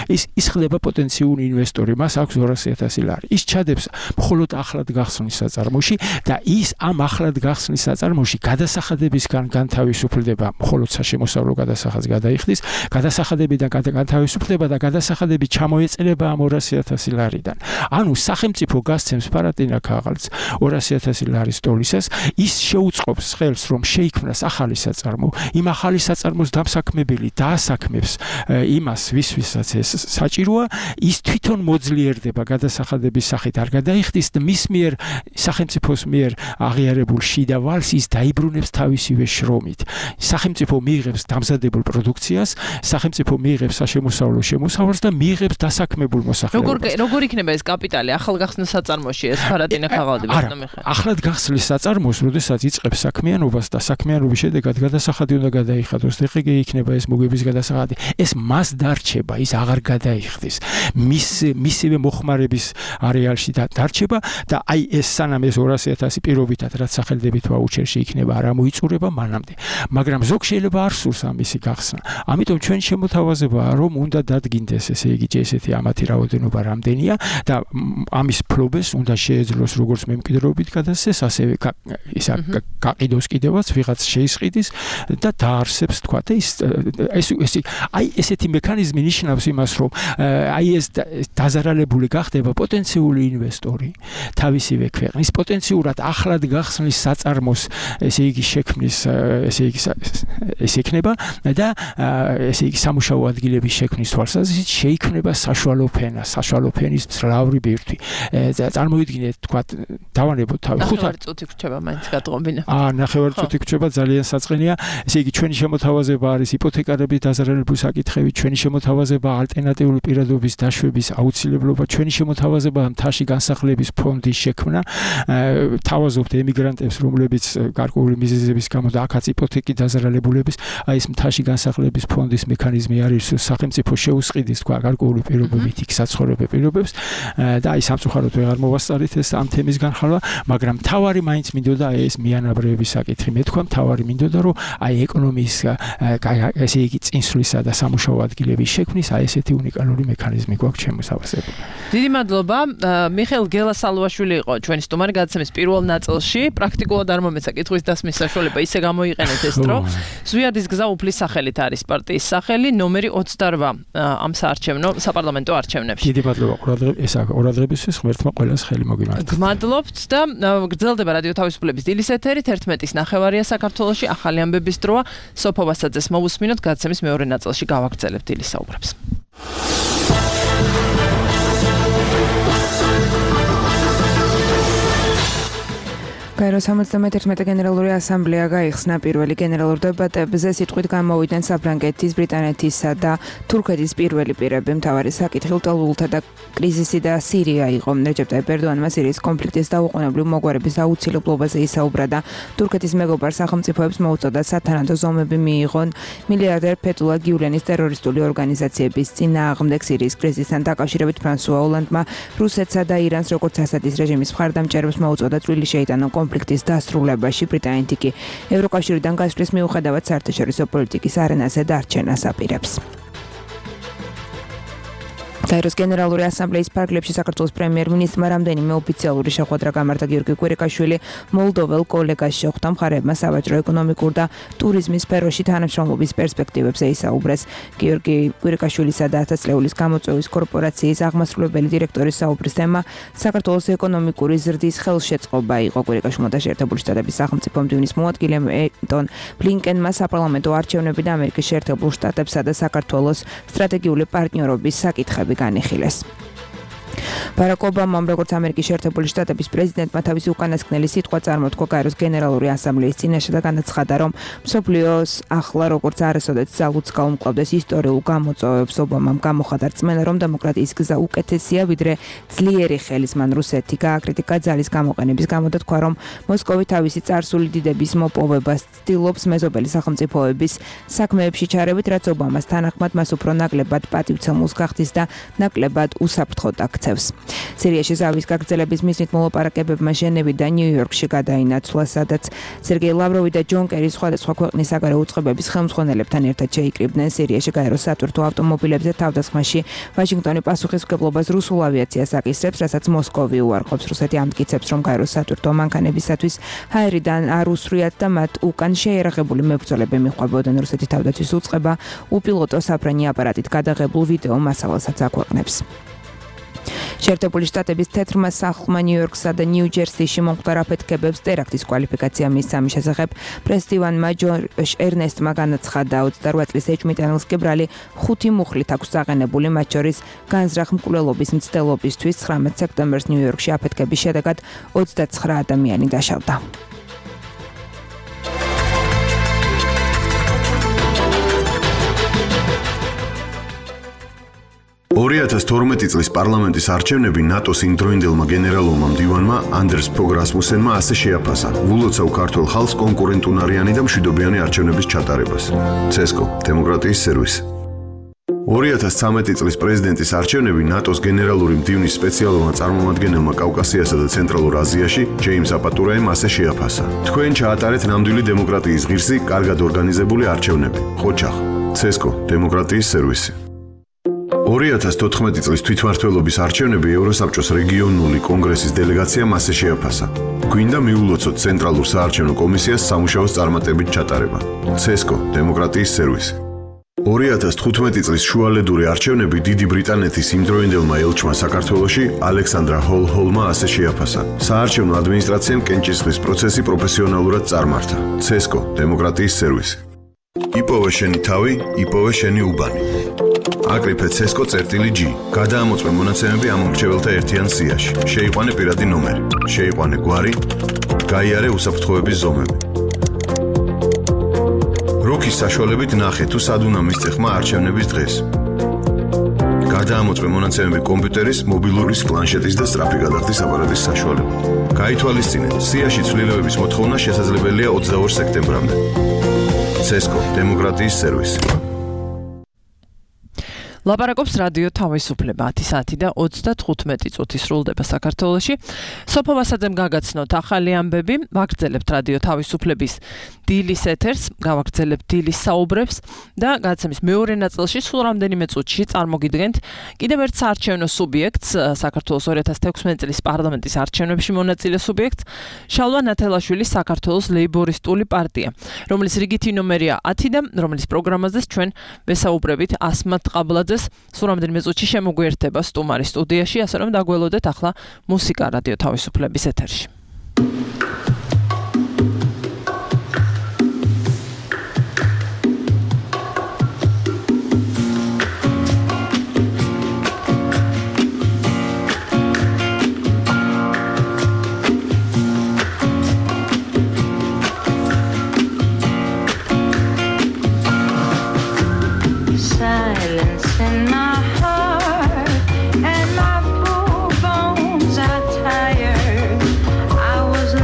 Speaker 6: ის ის ხდება პოტენციური ინვესტორი, მას აქვს ორასი ათასი ლარი. ის ჩადებს მხოლოდ ახლად გახსნილ საწარმოში და ის ამ ახლად გახსნილ საწარმოში გადასახადებისგან განთავისუფლდება, მხოლოდ საშემოსავლო გადასახადს გადაიხდის, გადასახადებიდან განთავისუფლდება და გადასახადები ჩამოეწება ამ ორასი ათასი ლარიდან. ანუ სახელმწიფო გასცემს პარატინა ქაღალდს ორასი ათასი ლარის სტოლისას, ის შეუწყობს ხელს, რომ შეიქმნას ახალი საწარმო, იმ ახალი საწარმოს დამსაქმებელი დაასაქმებს იმას, ვისვისაც ეს საჭიროა, ის თვითონ მოძლიერდება გადასახადების სახით არ გადაიხდის და მის მიერ სახელმწიფოს მიერ აღიარებულ შიდა ვალს ის დაიბრუნებს თავისივე შრომით. სახელმწიფო მიიღებს დამზადებულ პროდუქციას, სახელმწიფო მიიღებს საშემოსავლო შემოსავალს და მიიღებს დასაქმებულ მოსახლეობას.
Speaker 4: როგორ როგორ იქნება ეს კაპიტალი ახალგახსნილ საწარმოში? საწარმოში ეს ფარატინა ხაღალდი ბატონო მიხეილ.
Speaker 6: ახლად გახსნის საწარმოს, როდესაც იწყებს საქმიანობას და საქმიანობის შედეგად გადასახადი უნდა გადაიხადოს, ეხლა იქნება ეს მოგების გადასახადი. ეს მას დარჩება, ის აღარ გადაიხდის. მის მისივე მოხმარების არეალში დარჩება და აი ეს სანამ ეს ორასი ათასი პირობითად რაც სახელდებით ვაუჩერში იქნება არ მოიწურება მანამდე. მაგრამ ზოგ შეიძლება არ სურს ამისი გახსნა. ამიტომ ჩვენ შემოთავაზებაა რომ უნდა დადგინდეს ესე იგი ესეთი ამათი რაოდენობა რამდენია და ამის ფლობეს უნდა შეეძლოს როგორც მემკვიდრეობით გადასცეს, ასევე ისა გაყიდოს კიდევაც ვიღაც შეისყიდის და დაარსებს თქვა და ის ეს აი ესეთი მექანიზმი ნიშნავს იმას რომ აი ეს დაზარალებული გახდება პოტენციური ინვესტორი თავისივე ქვეყნის პოტენციურად ახლად გახსნის საწარმოს ესე იგი შექმნის ესე იგი ეს იქნება და ესე იგი სამუშაო ადგილების შექმნის თვალსაზრისით შეიქმნება საშუალო ფენა, საშუალო ფენის მძლავრი ბირთვი. წარმოვიდგინეთ, თქვა, დავანებოთ თავი
Speaker 4: ხუთი წუთი გრჩება მაინც გადღობინა.
Speaker 6: აა, ნახევარი წუთი გრჩება, ძალიან საწყენია. ესე იგი, ჩვენი შემოთავაზება არის იპოთეკარების დაზარალებული საკითხები, ჩვენი შემოთავაზება ალტერნატიული პირადობის დაშვების აუცილებლობა, ჩვენი შემოთავაზება მთაში განსახლების ფონდის შექმნა. თავაზობთ ემიგრანტებს, რომლებიც გარკვეული მიზეზების გამო და აქაც იპოთეკი დაზარალებულების, აი ეს მთაში განსახლების ფონდის მექანიზმი არის სახელმწიფო შეუსყიდის თქვა გარკვეული პირობებით იქ საცხოვრებელ პირობებს და აი სამწუხაროდ ვეღარ მოვასწარით ეს ამ თემის განხილვა, მაგრამ თავარი მაინც მინდოდა ეს მიანაბრეების საკითხი. მე თქვა თავარი მინდოდა რომ აი ეკონომიის ესე იგი წინსვლისა და სამუშაო ადგილების შექმნის აი ესეთი უნიკალური მექანიზმი გვაქვს შემოსავსებული.
Speaker 4: დიდი მადლობა. მიხეილ გელასალუაშვილი იყო ჩვენი სტუმარი გადაცემის პირველ ნაწილში. პრაქტიკულად არ მომეცა კითხვის დასმის საშუალება, ისე გამოიყენეთ ეს დრო. ზვიადის გზა უფლის სახელით არის პარტიის სახელი, ნომერი ოცდარვა ამ საარჩევნო საპარლამენტო არჩევნებში.
Speaker 6: დიდი მადლობა ყურადღების ესა ყურადღებისთვის ღმერთმა ყველას ხელი მოგიმართოს.
Speaker 4: გმადლობთ და გრძელდება რადიო თავისუფლების დილის ეთერი თერთმეტის ნახევარია საქართველოში ახალი ამბების დროა. სოფო ვასაძეს მოვუსმინოთ გადაცემის მეორე ნაწილში გავაგრძელებთ დილის საუბრებს.
Speaker 2: გაეროს სამოცდამეერთმეტე გენერალური ასამბლეა გაიხსნა პირველი გენერალურ დებატებზე სიტყვით გამოვიდნენ საფრანგეთის, ბრიტანეთისა და თურქეთის პირველი პირები. მთავარი საკითხი უტალულთა და კრიზისი და სირია იყო. რეჯეპ ტაიპ ერდოანმა სირიის კონფლიქტის დაუყოვნებლივ მოგვარების აუცილებლობაზე ისაუბრა და თურქეთის მეგობარ სახელმწიფოებს მოუწოდა სათანადო ზომები მიიღონ მილიარდერ ფეთულა გიულენის ტერორისტული ორგანიზაციების წინააღმდეგ სირიის კრიზისთან დაკავშირებით ფრანსუა ოლანდმა რუსეთსა და ირანს როგორც ასადის რეჟიმის მხარდამჭერებს მოუწოდა წვლილი შეიტანონ კონფლიქტის დასრულებაში. ბრიტანეთი კი ევროკავშირიდან გასვლის მიუხედავად საერთაშორისო პოლიტიკის არენაზე დარჩენას აპირებს. გაეროს გენერალური ასამბლეის ფარგლებში საქართველოს პრემიერ-მინისტრმა რამდენიმე ოფიციალური შეხვედრა გამართა. გიორგი კვირიკაშვილი მოლდოվել კოლეგას შეხვდა, მხარეებმა სავაჭრო, ეკონომიკურ და ტურიზმის სფეროში თანამშრომლობის პერსპექტივებზე ისაუბრეს. გიორგი კვირიკაშვილისა და ათასწლეულის გამოწვევის კორპორაციის აღმასრულებელი დირექტორის საუბრის თემა საქართველოს ეკონომიკური ზრდის ხელშეწყობა იყო. კვირიკაშვილმა და შეერთებული შტატების სახელმწიფო მდივნის მოადგილე ენტონ ბლინკენმა საპარლამენტო არჩევნები და ამერიკის შეერთებულ შტატებსა და საქართველოს სტრატეგიული პარტნიორობის საკითხები განიხილეს. ბარაკ ობამამ როგორც ამერიკის შეერთებული შტატების პრეზიდენტმა თავისი უკანასკნელი სიტყვა წარმოთქვა გაეროს გენერალური ასამბლეის წინაშე და განაცხადა, რომ მსოფლიოს ახლა როგორც არასოდეს ძალუც გაუმკლავდეს ისტორიულ გამოწვევებს. ობამამ გამოხატა რწმენა, რომ დემოკრატიის გზა უკეთესია ვიდრე ძლიერი ხელის. მან რუსეთი გააკრიტიკა ძალის გამოყენების გამო და თქვა, რომ მოსკოვი თავისი წარსული დიდების მოპოვებას ცდილობს მეზობელი სახელმწიფოების საქმეებში ჩარევით, რაც ობამას თანახმად მას უფრო ნაკლებად პატივცემულს გახდის და ნაკლებად უსაფრთხოდ აქცევს. სირიაში ზავის გაგრძელების მიზნით მოლაპარაკებებმა ჟენევიდან ნიუ-იორკში გადაინაცვლა, სადაც სერგეი ლავროვი და ჯონ კერი სხვადასხვა ქვეყნის საგარეო უწყებების ხელმძღვანელებთან ერთად შეიკრიბნენ. სირიაში გაეროს სატვირთო ავტომობილებზე თავდასხმაში ვაშინგტონი პასუხისმგებლობას რუსულ ავიაციას აკისრებს, რასაც მოსკოვი უარყოფს. რუსეთი ამტკიცებს, რომ გაეროს სატვირთო მანქანებისათვის ჰაერიდან არ უსვრიათ და მათ უკან შეიარაღებული მებრძოლები მიჰყვებოდნენ. რუსეთი თავდაცვის უწყება უპილოტო საფრენი აპარატით გადაღებულ ვიდეო მასალასაც აქვეყნებს. შეერთებული შტატების თეთრმა სახლმა ნიუ-იორკსა და ნიუ-ჯერსიში მომხდარ აფეთქებებს ტერაქტის კვალიფიკაცია მისცა. ამის შესახებ პრესტივანმა ჯორჯ ერნესტმა განაცხადა, ოცდაორი წლის ეჭვმიტანილს კი ბრალი ხუთი მუხლით აქვს აღენებული, მათ შორის განზრახ მკვლელობის მცდელობისთვის. ცხრამეტ სექტემბერს ნიუ-იორკში აფეთქების შედეგად ოცდაცხრა ადამიანი დაშავდა.
Speaker 3: ორი ორი ათას თორმეტი წლის პარლამენტის არჩევნები ნატოს იმდროინდელმა გენერალურმა მდივანმა ანდერს ფოგ რასმუსენმა ასე შეაფასა ვულოცავ ქართულ ხალხს კონკურენტუნარიანი და მშვიდობიანი არჩევნების ჩატარებას. ცესკო, დემოკრატიის სერვისი. ორი ათას ცხრამეტი წლის პრეზიდენტის არჩევნები ნატოს გენერალური მდივნის სპეციალურმა წარმომადგენელმა კავკასიასა და ცენტრალურ აზიაში ჯეიმს აპატურაემ ასე შეაფასა. თქვენ ჩაატარეთ ნამდვილი დემოკრატიის ღირსი, კარგად ორგანიზებული არჩევნები. ხოჩახ, ცესკო, დემოკრატიის სერვისი. ორი ათას თოთხმეტი წლის თვითმმართველობის არჩევნები ევროსაბჭოს რეგიონული კონგრესის დელეგაციამ ასე შეაფასა. გვინდა მიულოცოთ ცენტრალურ საარჩევნო კომისიას სამუშაოს წარმატებით ჩატარება. ცესკო, დემოკრატიის სერვისი. ორი ათას თხუთმეტი წლის შუალედური არჩევნები დიდი ბრიტანეთის იმდროინდელმა ელჩმა საქართველოში ალექსანდრა ჰოლ-ჰოლმა ასე შეაფასა. საარჩევნო ადმინისტრაციამ კენჭისყრის პროცესი პროფესიონალურად წარმართა. ცესკო, დემოკრატიის სერვისი. იპოვე შენი თავი, იპოვე შენი უბანი. აკრიფე ცესკო წერტილი G. გადაამოწმე მონაცემები ამ მრჩეველთა ერთიან სიაში. შეიყვანე პირადი ნომერი. შეიყვანე გვარი. გაიარე უსაფრთხოების ზომები. როქის საშუალებით ნახე თუ სად უნდა მისცე ხმა არჩევნების დღეს. გადაამოწმე მონაცემები კომპიუტერის, მობილურის, პლანშეტის და სწრაფი გადახდის აპარატის საშუალებით. გაითვალისწინეთ, სიაში ცვლილებების მოთხოვნა შესაძლებელია ოცდაორ სექტემბრამდე. ცესკო, დემოკრატიის სერვისი.
Speaker 4: ლაპარაკობს რადიო თავისუფლება ათი საათი და ოცდათხუთმეტი წუთი სრულდება საქართველოში. სოფო ვასაძემ გაგაცნოთ ახალი ამბები, ვაგრძელებთ რადიო თავისუფლების დილის ეთერს, გავაგრძელებთ დილის საუბრებს და გადაცემის მეორე ნაწილში სულ რამდენიმე წუთში წარმოგიდგენთ კიდევ ერთ საარჩევნო სუბიექტს, საქართველოს ორი ათას თექვსმეტი წლის პარლამენტის არჩევნებში მონაწილე სუბიექტს, შალვა ნათელაშვილის საქართველოს ლეიბორისტული პარტია, რომლის რიგითი ნომერია ათი და რომლის პროგრამაზეც ჩვენ ვესაუბრებით ასმათ ყაბლაძეს. სულ რამდენიმე წუთში შემოგვიერთება სტუმარი სტუდიაში, ასე რომ დაგველოდეთ ახლა მუსიკა რადიო თავისუფლების ეთერში.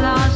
Speaker 7: Lost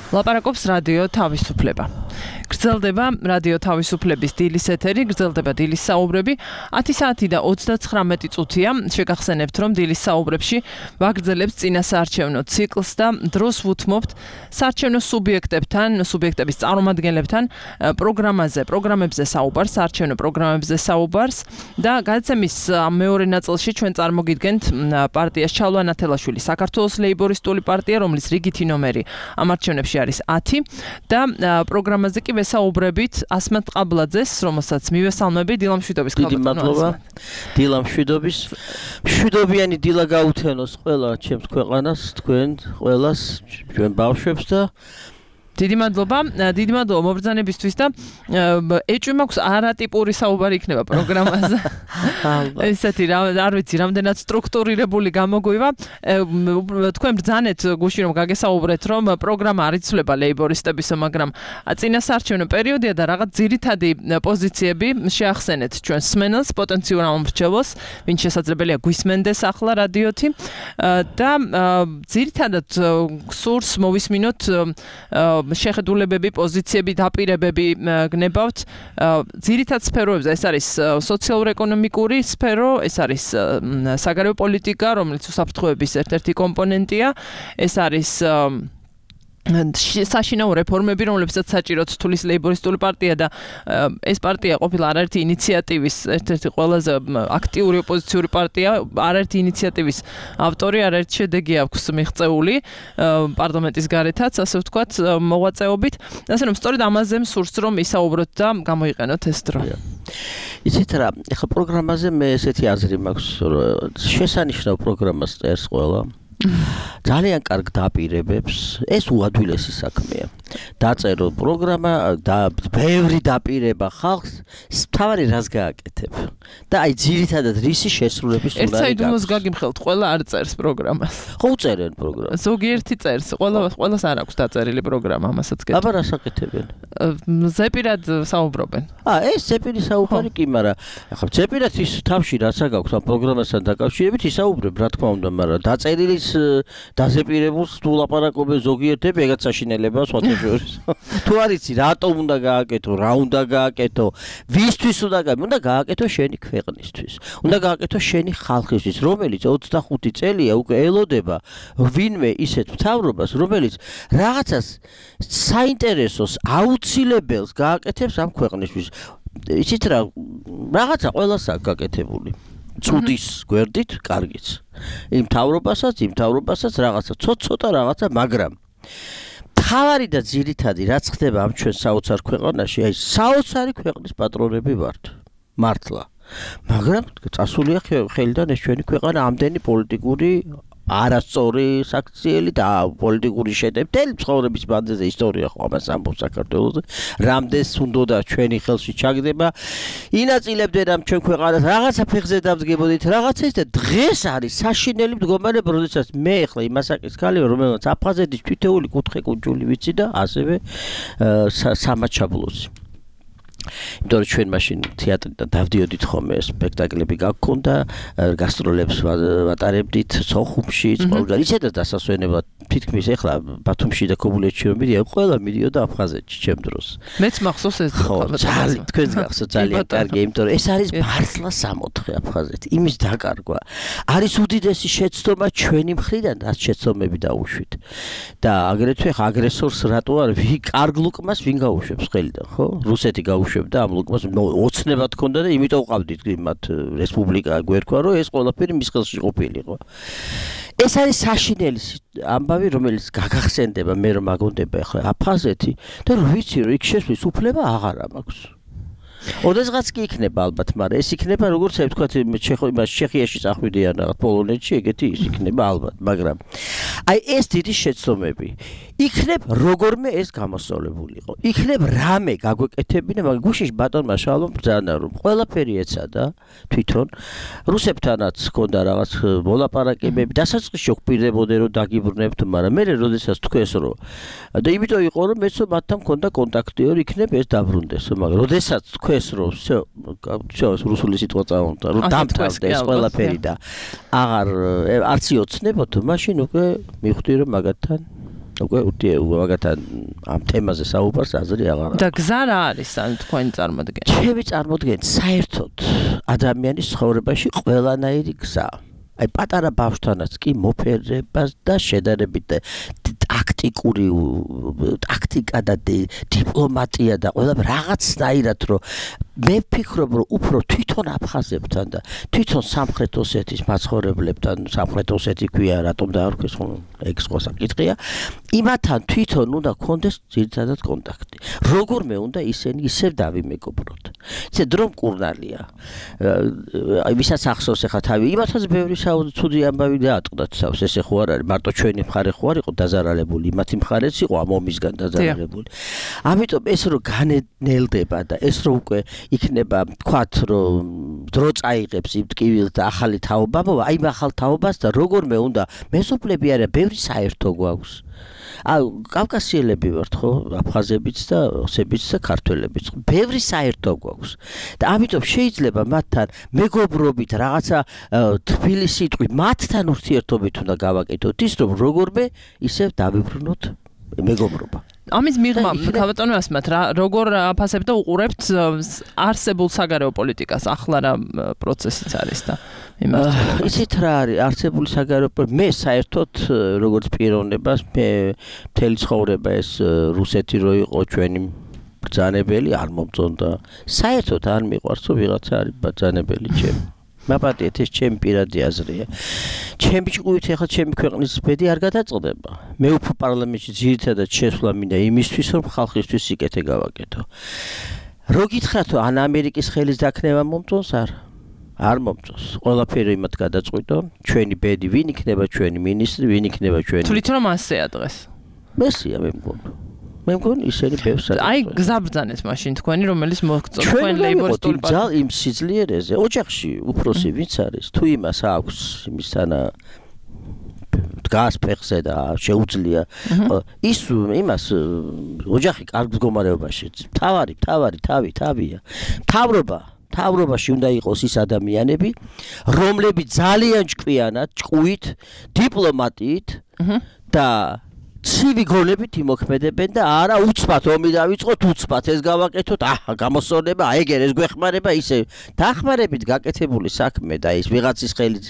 Speaker 4: ლაპარაკობს რადიო თავისუფლება. გრძელდება რადიო თავისუფლების დილის ეთერი, გრძელდება დილის საუბრები. ათი საათი და ოცდაცხრამეტი წუთია. შეგახსენებთ, რომ დილის საუბრებში ვაგრძელებთ წინასაარჩევნო ციკლს და დროს ვუთმობთ საარჩევნო სუბიექტებთან, სუბიექტების წარმომადგენლებთან პროგრამაზე, პროგრამებზე საუბარს, საარჩევნო პროგრამებზე საუბარს და გადაცემის მეორე ნაწილში ჩვენ წარმოგიდგენთ პარტიას ჩალვა ნათელაშვილი, საქართველოს ლეიბორისტული პარტია, რომლის რიგითი ნომერი ამ არჩევნებში არის ათი და პროგრამაზე კი ვესაუბრებით ასმათ ყაბლაძეს, რომელსაც მივესალმები დილა მშვიდობის
Speaker 7: ქალბატონო. დიდი მადლობა. დილა მშვიდობის. მშვიდობიანი დილა გაუთენოს ყველა ჩემს ქვეყანას, თქვენ ყველას, ჩვენ ბავშვებს და
Speaker 4: დიდი მადლობა, დიდი მადლობა მობრძანებისთვის და ეჭვი მაქვს არატიპური საუბარი იქნება პროგრამაზე. ესეთი არ ვიცი, რამდენად სტრუქტურირებული გამოგვივა. თქვენ ბრძანეთ გუში რომ გაგესაუბრეთ, რომ პროგრამა არ იცვლება ლეიბორისტებისო, მაგრამ წინასაარჩევნო პერიოდია და რაღაც ძირითადი პოზიციები შეახსენეთ ჩვენ სმენელს, პოტენციურ ამომრჩევლს, ვინც შესაძლებელია გვისმენდეს ახლა რადიოთი და ძირითადად სურს მოვისმინოთ შეხედულებები, პოზიციები, დაპირებები გნებავთ ძირითად სფეროებზე. ეს არის სოციალურ-ეკონომიკური სფერო, ეს არის საგარეო პოლიტიკა, რომელიც უსაფრთხოების ერთ-ერთი კომპონენტია, ეს არის საშინაო რეფორმები, რომლებსაც საჭიროდ თulis ლეიბორისტული პარტია და ეს პარტია ყოფილა არაერთი ინიციატივის ერთ-ერთი ყველაზე აქტიური ოპოზიციური პარტია, არაერთი ინიციატივის ავტორი, არაერთი შედეგი აქვს მიღწეული პარლამენტის გარეთაც, ასე ვთქვათ, მოღვაწეობით. ასე რომ სწორედ ამაზე მსურს რომ ისაუბროთ და გამოიყენოთ ეს დრო.
Speaker 7: იცით რა, ახლა პროგრამაზე მე ესეთი აზრი მაქვს, შესანიშნავ პროგრამას წერს ყველა. ძალიან კარგ დაპირებებს, ეს უადვილესი საქმეა. დაწერო პროგრამა და ბევრი დაპირება ხალხს, თავარი რას გააკეთებ. და აი ძირითადად რისი შესრულების უნდა
Speaker 4: იყოს. ერთ საიდუმლოს გაგიმხელთ, ყველა არ წერს პროგრამას.
Speaker 7: ხო უწერენ პროგრამას.
Speaker 4: ზოგიერთი წერს, ყველა ყველას არ აქვს დაწერილი პროგრამა, ამასაც გეტყვი.
Speaker 7: აბა რას აკეთებენ?
Speaker 4: ზეპირად საუბრობენ.
Speaker 7: აა ეს ზეპირი საუბარი კი, მაგრამ ახლა ზეპირად ის თავში რაც აქვს ამ პროგრამასთან დაკავშირებით ისაუბრებ, რა თქმა უნდა, მაგრამ დაწერილი დაზეპირებულს თუ ლაპარაკობენ ზოგიერთები, ეგაც საშინელებაა სხვათა შორის. თუ არ იცი, რატომ უნდა გააკეთო, რა უნდა გააკეთო, ვისთვის უნდა გააკეთო, უნდა გააკეთო შენი ქვეყნისთვის. უნდა გააკეთო შენი ხალხისთვის, რომელიც ოცდახუთი წელია უკვე ელოდება ვინმე ისეთ მთავრობას, რომელიც რაღაცას საინტერესოს, აუცილებელს გააკეთებს ამ ქვეყნისთვის. იცით რა, რაღაცა ყველას აქვს გაკეთებული. ცუდის გვერდით, კარგიც. იმ თავრობასაც, იმ თავრობასაც რაღაცა ცოტ-ცოტა რაღაცა, მაგრამ თავარი და ძირითადი რაც ხდება ამ ჩვენ საოცარ ქვეყანაში, აი საოცარი ქვეყნის პატრონები ვართ. მართლა. მაგრამ წასულია ხელიდან ეს ჩვენი ქვეყანა ამდენი პოლიტიკური არასწორი საქციელი და პოლიტიკური შეტევები ცხოვრების ბანძეზე ისტორია ხო ამას ამბობს საქართველოს რამდენს უნდა ჩვენი ხელში ჩაგდება ინაწილებდნენ ამ ჩვენ ქვეყანას რაღაცა ფეხზე დავდგებოდით რაღაცას და დღეს არის საშინელი მდგომარეობა როდესაც მე ახლა იმასაკის ქალი რომელსაც აფხაზეთის თითოეული კუთხე კუნჯული ვიცი და ასევე სამაჩაბლოსი იმიტომ რომ ჩვენ მაშინ თეატრიდან დავდიოდით ხოლმე სპექტაკლები გაგქონდა გასტროლებს ვატარებდით სოხუმში ყველგან ისედაც დასასვენებლად თითქმის ეხლა ბათუმში და ქობულეთში რომ მიდია ყველა მიდიოდა აფხაზეთში ჩემ დროს
Speaker 4: მეც მახსოვს ეს
Speaker 7: ხო ძალიან თქვენს გახსოვთ ძალიან კარგი იმიტომ რომ ეს არის მართლა სამოთხე აფხაზეთი იმის დაკარგვა არის უდიდესი შეცდომა ჩვენი მხრიდან რაც შეცდომები დაუშვით და აგრეთვე აგრესორს რატო არ ვინ კარგ ლუკმას ვინ გაუშვებს ხელიდან ხო რუსეთი გაუშვებდა ამ ლუკმას ოცნებად ქონდა და იმიტომ ყავდით მათ რესპუბლიკა გვერქვა რომ ეს ყველაფერი მის ხელში ყოფილიყო ეს არის საშინელი ამბავი რომელიც გაგახსენდება მე რომ აგონდება ახლა აფხაზეთი და რომ ვიცი რომ იქ შესვლის უფლება აღარა მაქვს ოდესღაც კი იქნება ალბათ მაგრამ ეს იქნება როგორც ვთქვათ ჩეხიაში წახვიდიან რაღაც პოლონეთში ეგეთი ის იქნება ალბათ მაგრამ აი ეს დიდი შეცდომები იქნებ როგორმე ეს გამოსწორებულიყო იქნებ რამე გაგვეკეთებინა მაგრამ გუშინ ბატონმა შალომ ბრძანა რომ ყველაფერი ეცადა თვითონ რუსებთანაც ჰქონდა რაღაც მოლაპარაკებები დასაწყისში გვპირდებოდნენ რომ დაგიბრუნებთ მაგრამ მე როდესაც თქვენს რომ და იმიტომ იყო რომ მეც მათთან მქონდა კონტაქტი რომ იქნებ ეს დაბრუნდეს მაგრამ როდესაც თქვენს რომ всё всё რუსული სიტყვა წავიდა რომ დამთავრდეს ყველაფერი და აღარ არც იოცნებოთ მაშინ უკვე მივხვდი რომ მაგათთან უკვე უთი მაგათთან ამ თემაზე საუბარს აზრი აღარ აქვს.
Speaker 4: და გზა რა არის ან თქვენი წარმოდგენა?
Speaker 7: ჩემი წარმოდგენა საერთოდ ადამიანის ცხოვრებაში ყველანაირი გზა. აი პატარა ბავშვთანაც კი მოფერება და შედარებით ტაქტიკური ტაქტიკა და დიპლომატია და ყველა რაღაცნაირად რომ მე ვფიქრობ რომ უფრო თვითონ აფხაზებთან და თვითონ სამხრეთ ოსეთის მაცხოვრებლებთან სამხრეთ ოსეთი ქვია რატომ დაარქვეს ხო ეგ სხვა საკითხია იმათთან თვითონ უნდა გქონდეს ძირითადად კონტაქტი როგორმე უნდა ისინი ისევ დავიმეგობროთ ისე დრო მკურნალია აი ვისაც ახსოვს ახლა თავი იმათაც ბევრი ცუდი ამბავი დაატყდათ თავს ესე ხო არ არის მარტო ჩვენი მხარე ხო არ იყო დაზარალებული იმათი მხარეც იყო ამ ომისგან დაზარალებული ამიტომ ეს რომ განენელდება და ეს რომ უკვე იქნება თქვათ რომ დრო წაიღებს იმ ტკივილს და ახალი თაობა მოვა აი ახალ თაობას და როგორმე უნდა მეზობლები არა ბევრი საერთო გვაქვს აი კავკასიელები ვართ ხო აფხაზებიც და ოსებიც და ქართველებიც ბევრი საერთო გვაქვს და ამიტომ შეიძლება მათთან მეგობრობით რაღაცა თბილი სიტყვით მათთან ურთიერთობით უნდა გავაკეთოთ ის რომ როგორმე ისევ დავიბრუნოთ მეგობრობა
Speaker 4: ამის მიღმა ქალბატონო ასმათ რა როგორ აფასებთ და უყურებთ არსებულ საგარეო პოლიტიკას ახლა რა პროცესიც არის და იმართება
Speaker 7: ისეთ რა არის არსებული საგარეო მე საერთოდ როგორც პიროვნებას მე მთელი ცხოვრება ეს რუსეთი რო იყო ჩვენი ბრძანებელი არ მომწონდა საერთოდ არ მიყვარს რომ ვიღაცა არის ბრძანებელი ჩემი მაპატიეთ ეს ჩემი პირადი აზრია ჩემი ჭკუით ახლა ჩემი ქვეყნის ბედი არ გადაწყდება მე უფრო პარლამენტში ძირითადად შესვლა მინდა იმისთვის რომ ხალხისთვის სიკეთე გავაკეთო რო გითხრათ რომ ან ამერიკის ხელის დაქნება მომწონს არ არ მომწონს ყველაფერი იმათ გადაწყვიტო ჩვენი ბედი ვინ იქნება ჩვენი მინისტრი ვინ იქნება ჩვენი
Speaker 4: თვლით რომ ასეა დღეს
Speaker 7: მესია მე მგონი მე მგონი ისინი ბევრს
Speaker 4: აი გზაბრძანეთ მაშინ თქვენი რომელიც მოგწონთ თქვენ ლეიბორისტული
Speaker 7: პარტია იმ სიძლიერეზე ოჯახში უფროსი ვინც არის თუ იმას აქვს იმისთანა დგას ფეხზე და შეუძლია ის იმას ოჯახი კარგ მდგომარეობაში თავარი თავარი თავი თავია თავრობა თავრობაში უნდა იყოს ის ადამიანები რომლებიც ძალიან ჭკვიანად ჭკუით დიპლომატიით და ცივი გონებით იმოქმედებენ და არა უცბად ომი დავიწყოთ უცბად ეს გავაკეთოთ აჰა გამოსწორება ეგერ ეს გვეხმარება ისე დახმარებით გაკეთებული საქმე და ის ვიღაცის ხელით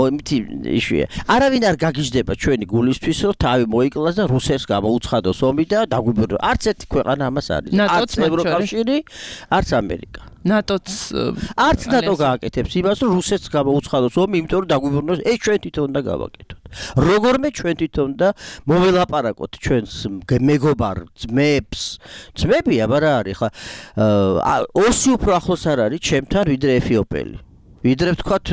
Speaker 7: მომითი იშვია არავინ არ გაგიჟდება ჩვენი გულისთვის რომ თავი მოიკლას და რუსეთს გამოუცხადოს ომი და დაგვიბრუნოს არც ერთი ქვეყანა ამას არის არც ევროკავშირი არც ამერიკა
Speaker 4: ნატოც
Speaker 7: არც ნატო გააკეთებს იმას რომ რუსეთს გამოუცხადოს ომი იმიტომ რომ დაგვიბრუნოს ეს ჩვენ თვითონ უნდა გავაკეთოთ როგორმე ჩვენ თვითონ და მოველაპარაკოთ ჩვენს მეგობარ ძმებს ძმები აბა რა არის ხა ოსი უფრო ახლოს არ არის ჩემთან ვიდრე ეფიოპელი ვიდრე ვთქვათ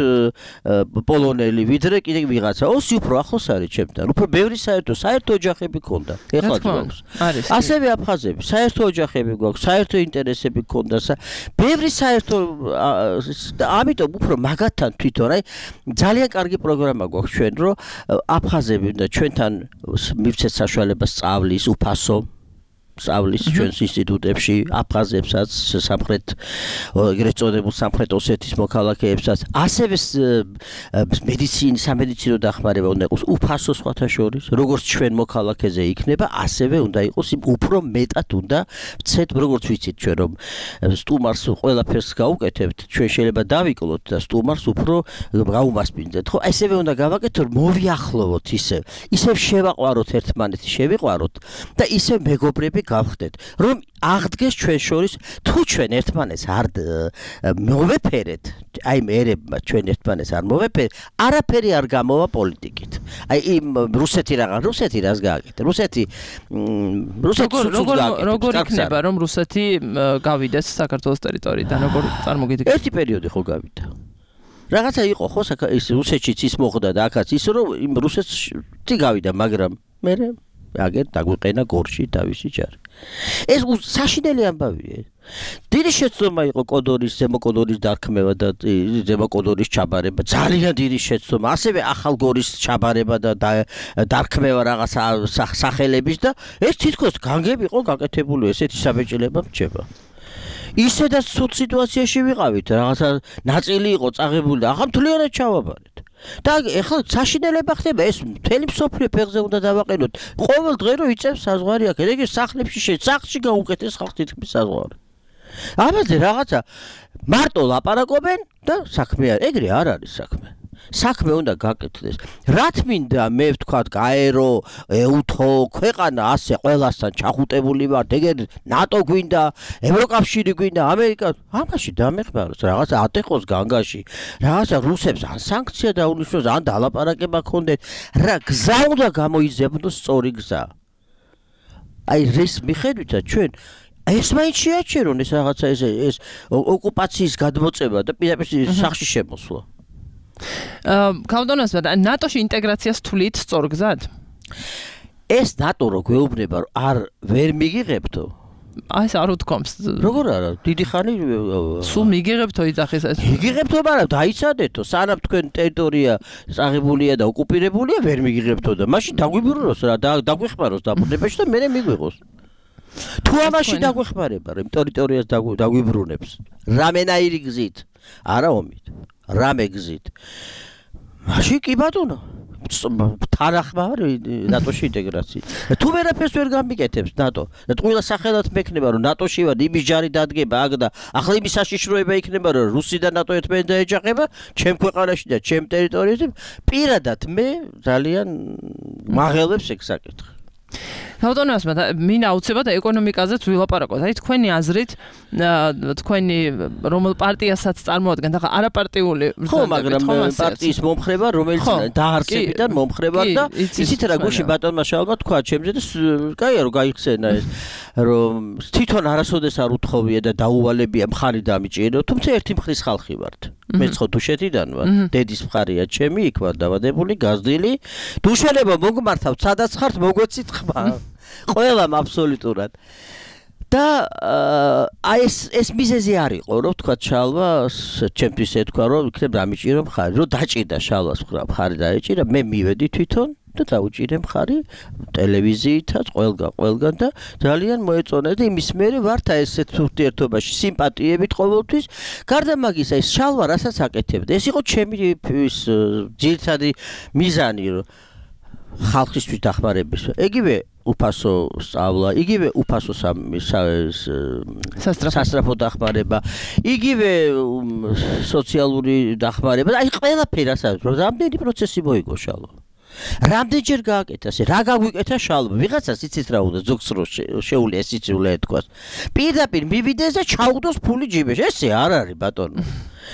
Speaker 7: პოლონელი ვიდრე კიდე ვიღაცა ოსი უფრო ახლოს არის ჩემთან უფრო ბევრი საერთო საერთო ოჯახები ქონდა ეხლა გვაქვს ასევე აფხაზები საერთო ოჯახები გვაქვს საერთო ინტერესები ქონდა ბევრი საერთო ამიტომ უფრო მაგათთან თვითონ აი ძალიან კარგი პროგრამა გვაქვს ჩვენ რომ აფხაზები და ჩვენთან მივცეთ საშუალებას სწავლის უფასო სწავლის ჩვენს ინსტიტუტებში აფხაზებსაც სამხრეთ ეგრეთ წოდებულ სამხრეთ ოსეთის მოქალაქეებსაც ასევე მედიცინის სამედიცინო დახმარება უნდა იყოს უფასო სხვათა შორის როგორც ჩვენ მოქალაქეზე იქნება ასევე უნდა იყოს უფრო მეტად უნდა ვცეთ როგორც ვიცით ჩვენ რომ სტუმარს ყველაფერს გაუკეთებთ ჩვენ შეიძლება დავიკლოთ და სტუმარს უფრო გაუმასპინძეთ ხო ასევე უნდა გავაკეთოთ რომ მოვიახლოვოთ ისევ ისევ შევაყვაროთ ერთმანეთი შევიყვაროთ და ისევ მეგობრები გავხდეთ რომ აღდგეს ჩვენ შორის თუ ჩვენ ერთმანეთს არ მოვეფერეთ აი მერებმა ჩვენ ერთმანეთს არ მოვეფერეთ არაფერი არ გამოვა პოლიტიკით აი იმ რუსეთი რაღაც რუსეთი რას გააკეთა რუსეთი რუსეთი
Speaker 4: როგორ იქნება რომ რუსეთი გავიდეს საქართველოს ტერიტორიიდან როგორ წარმოგიდგენთ
Speaker 7: ერთი პერიოდი ხო გავიდა რაღაცა იყო ხო ის რუსეთშიც ის მოხდა და აქაც ის რომ იმ რუსეთში გავიდა მაგრამ მე აგერ დაგვიყენა გორში თავისი ჯარი ეს საშინელი ამბავია დიდი შეცდომა იყო კოდორის ზემოკოდორის დარქმევა და ზემოკოდორის ჩაბარება ძალიან დიდი შეცდომა ასევე ახალგორის ჩაბარება და დარქმევა რაღაც სახელების და ეს თითქოს განგები იყო გაკეთებული ესეთი საბეჭდილება მრჩება ისედაც ცუდ სიტუაციაში ვიყავით რაღაცა ნაწილი იყო წაღებული და ახლა მთლიანად ჩავაბარეთ და ეხლა საშინელება ხდება ეს მთელი მსოფლიო ფეხზე უნდა დავაყენოთ. ყოველ დღე რო იწევს საზღვარი აქ, ეგ სახლებში შეცახში გაუკეთეს ხალხ თითქმის საზღვარი. ამაზე რაღაცა მარტო ლაპარაკობენ და საქმე არ, ეგრე არ არის საქმე. საქმე უნდა გაკეთდეს. რა თმინდა მე ვთქვათ, გაერო, ეუთო, ქვეყანა ასე ყველასთან ჩახუტებული ვართ, ეგერ ნატო გვინდა, ევროკავშირი გვინდა, ამერიკა, ამაში დამეხმაროს, რაღაცა ატეხოს განგაში, რაღაცა რუსებს ან სანქცია დაუნიშნოს, ან დალაპარაკება ქონდეთ, რა გზა უნდა გამოიზებნოს სწორი გზა. აი რის მიხედვითაც ჩვენ ეს მაინც შეაჩერონ ეს რაღაცა ეს ეს ოკუპაციის გადმოწება და პირდაპირ სახში შემოსვლა.
Speaker 4: აა კავდონას და ნატოში ინტეგრაციას თვლით სწორგზად?
Speaker 7: ეს ნატო რო გვეუბნება რომ არ ვერ მიგიღებთო.
Speaker 4: აი ეს არ უთქვამს.
Speaker 7: როგორ არა? დიდი ხანი
Speaker 4: სულ მიგიღებთო იძახის ეს.
Speaker 7: მიგიღებთო, მაგრამ დაიცადეთო, სანამ თქვენ ტერიტორია წაღებულია და ოკუპირებულია, ვერ მიგიღებთო და მაშინ დაგვიბრუნოს რა, დაგვეხმაროს დაბრუნებაში და მერე მიგვიღოს. თუ ამაში დაგვეხმარება, რომ ტერიტორიას დაგვიბრუნებს, რამენაირი გზით, არა ომით. რამე გზით. მაშინ კი ბატონო, თანახმა არის ნატოში ინტეგრაცია. თუ ვერაფერს ვერ გამიკეთებს ნატო და ყველა სახელად მექნება რომ ნატოში ვარ, იმის ჯარი დადგება აქ და ახლა იმის საშიშროება იქნება რომ რუსი და ნატო ერთმანეთს დაეჯახება ჩემ ქვეყანაში და ჩემ ტერიტორიაზე, პირადად მე ძალიან მაღელებს ეგ საკითხი.
Speaker 4: ბატონოსმა მინდა უცებად ეკონომიკაზეც ვილაპარაკოთ. აი თქვენი აზრით, თქვენი რომელ პარტიასაც წარმოადგენთ, ახლა არაპარტიული
Speaker 7: ხო, მაგრამ პარტიის მომხრება, რომელიც დაარსებიდან მომხრება და იცით რა გუში ბატონმა შალმა თქვა ჩემზე და კაია რომ გაიხსენა ეს, რომ თვითონ არასოდეს არ უთხოვია და დაუვალებია მხარი დამიჭირო, თუმცა ერთი მხრის ხალხი ვართ. მე ხო დუშეთიდან ვარ, დედის მხარია ჩემი, იქ ვარ დავადებული, გაზრდილი. დუშენება მოგმართავთ, სადაც ხართ, მოგვეცით ხმა. ყველამ აბსოლუტურად. და აი ეს ეს მიზეზი არ იყო, რომ თქვა შალვა, ჩემთვის ეთქვა, რომ იქნებ დამიჭირო მხარი, რომ დაჭირდა შალვას მხარი დაეჭირა, მე მივედი თვითონ და დაუჭირე მხარი ტელევიზიითაც, ყველგან, ყველგან და ძალიან მოეწონა და იმის მერე ვართ აი ესეთ ურთიერთობაში, სიმპათიებით ყოველთვის. გარდა მაგისა, ეს შალვა რასაც აკეთებდა, ეს იყო ჩემი ის ძირითადი მიზანი, რომ ხალხისთვის დახმარების. ეგივე უფასო სწავლა, იგივე უფასო სასწრაფო დახმარება, იგივე სოციალური დახმარება. აი ყველაფერი რასაც რამდენი პროცესი მოიგო შალვა. რამდენჯერ გააკეთა ეს? რა გაგვიკეთა შალვა? ვიღაცას იცით რა უნდა ზოგს რო შეუძლია ეს იცივლა ეთქვას. პირდაპირ მივიდეს და ჩაუგდოს ფული ჯიბეში. ესე არ არის ბატონო.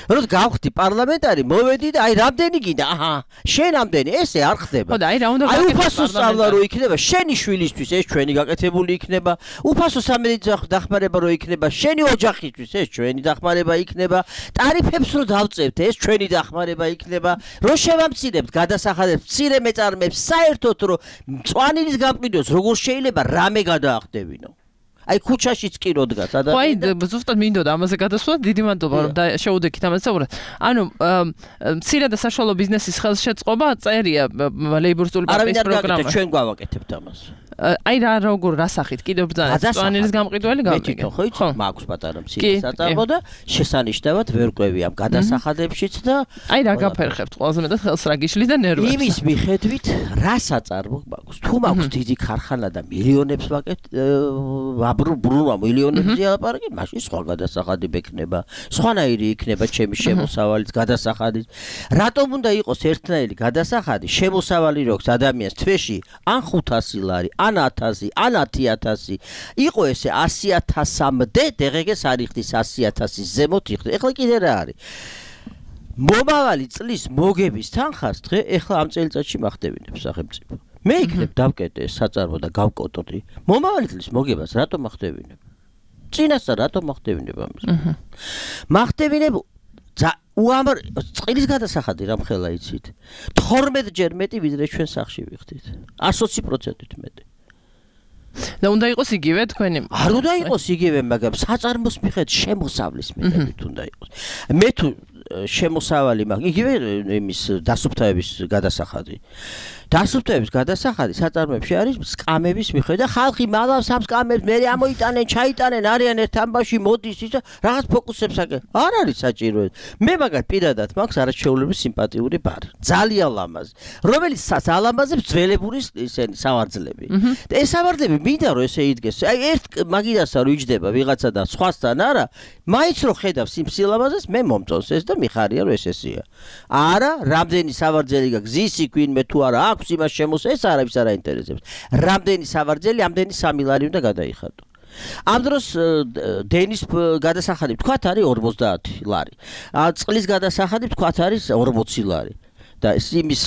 Speaker 7: რომ გავხდი პარლამენტარი, მოვედი და აი რამდენი გინდა? აჰა, შენ რამდენი? ესე არ ხდება.
Speaker 4: ხო და აი რა უნდა
Speaker 7: გაკეთო? აი უფასო სწავლა რო იქნება, შენი შვილისთვის ეს ჩვენი გაკეთებული იქნება. უფასო სამედიცინო დახმარება რო იქნება, შენი ოჯახისთვის ეს ჩვენი დახმარება იქნება. ტარიფებს რო დავწევთ, ეს ჩვენი დახმარება იქნება. რო შევამცირებთ გადასახადებს, მცირე მეწარმეებს, საერთოდ რო მწვანილის გამყიდოს, როგორ შეიძლება რამე გადაახდებინო? აი ქუჩაშიც კი რო დგას
Speaker 4: ადამიანი. ხო, აი ზუსტად მინდოდა ამაზე გადასვლა, დიდი მადლობა რომ შეუდექით ამაზე საუბრად. ანუ მცირე და საშუალო ბიზნესის ხელშეწყობა წერია ლეიბორისტული პარტიის პროგრამაში.
Speaker 7: ჩვენ გავაკეთებთ ამას.
Speaker 4: აი რა როგორ რასახით კიდევ ბრძანა სპანელის გამყიდველი გამიგე.
Speaker 7: ხო იცი, მაქვს პატარა მცირე საწარმო და შესანიშნავად ვერ ყვევი ამ გადასახადებშიც და
Speaker 4: აი რა გაფერხებთ ყველაზე მეტად ხელს რა გიშლით და ნერვებს.
Speaker 7: იმის მიხედვით რა საწარმო მაქვს. თუ მაქვს დიდი ქარხანა და მილიონებს ვაკეთებ, ბრუნვა მილიონებზე ალაპარაკი, მაშინ სხვა გადასახადი მექნება, სხვანაირი იქნება ჩემი შემოსავალიც გადასახადიც. რატომ უნდა იყოს ერთნაირი გადასახადი, შემოსავალი როქს ადამიანს თვეში ან ხუთასი ლარი, ან ათასი, ან ათი ათასი. იყო ესე ასი ათასამდე, დღეს არ იხდის ასი ათასის ზემოთ იხდის. ეხლა კიდე რა არის? მომავალი წლის მოგების თანხას დღე ეხლა ამ წელიწადში მახდებინებს სახელმწიფო. მე იქნებ დავკეტე საწარმო და გავკოტრდი. მომავალი წლის მოგებას რატომ მახდებინებ? წინასწარ რატომ მახდებინებ ამას? მახდებინებ უამარ წყლის გადასახადი რამხელა იცით. თორმეტჯერ მეტი ვიდრე ჩვენ სახში ვიხდით. ოცი პროცენტით მეტი.
Speaker 4: და უნდა იყოს იგივე თქვენი?
Speaker 7: არ უნდა იყოს იგივე, მაგრამ საწარმოს მიხედვით შემოსავლის მიხედვით უნდა იყოს. მე თუ შემოსავალი მაქვს. იგივე იმის დასუფთავების გადასახადი. დასუფთავების გადასახადი საწარმოებში არის სკამების მიხედვით და ხალხი მალავს ამ სკამებს, მე ამოიტანენ, ჩაიტანენ, არიან ერთ ამბავში მოდის ის რაღაც ფოკუსებს აკეთებს. არ არის საჭირო. მე მაგათ პირადად მაქვს არაჩვეულებრივი სიმპათიური ბარი. ძალიან ლამაზი. რომელიც ალამაზებს ძველებური ისენი სავარძლები. და ეს სავარძლები მინდა რომ ესე იდგეს. აი ერთ მაგიდასა რომ იჯდება ვიღაცა და სხვასთან არა, მაინც რომ ხედავს იმ სილამაზეს, მე მომწონს ეს და მიხარია რომ ეს ესეა. არა, რამდენი სავარძელი გაქვს, ზისი გვინმე თუ არა აქვს იმას შემოს ეს არავის არ აინტერესებს. რამდენი სავარძელი, ამდენი სამი ლარი უნდა გადაიხადო. ამ დროს დენის გადასახადი თქვათ არის ორმოცდაათი ლარი. წყლის გადასახადი თქვათ არის ორმოცი ლარი. და იმის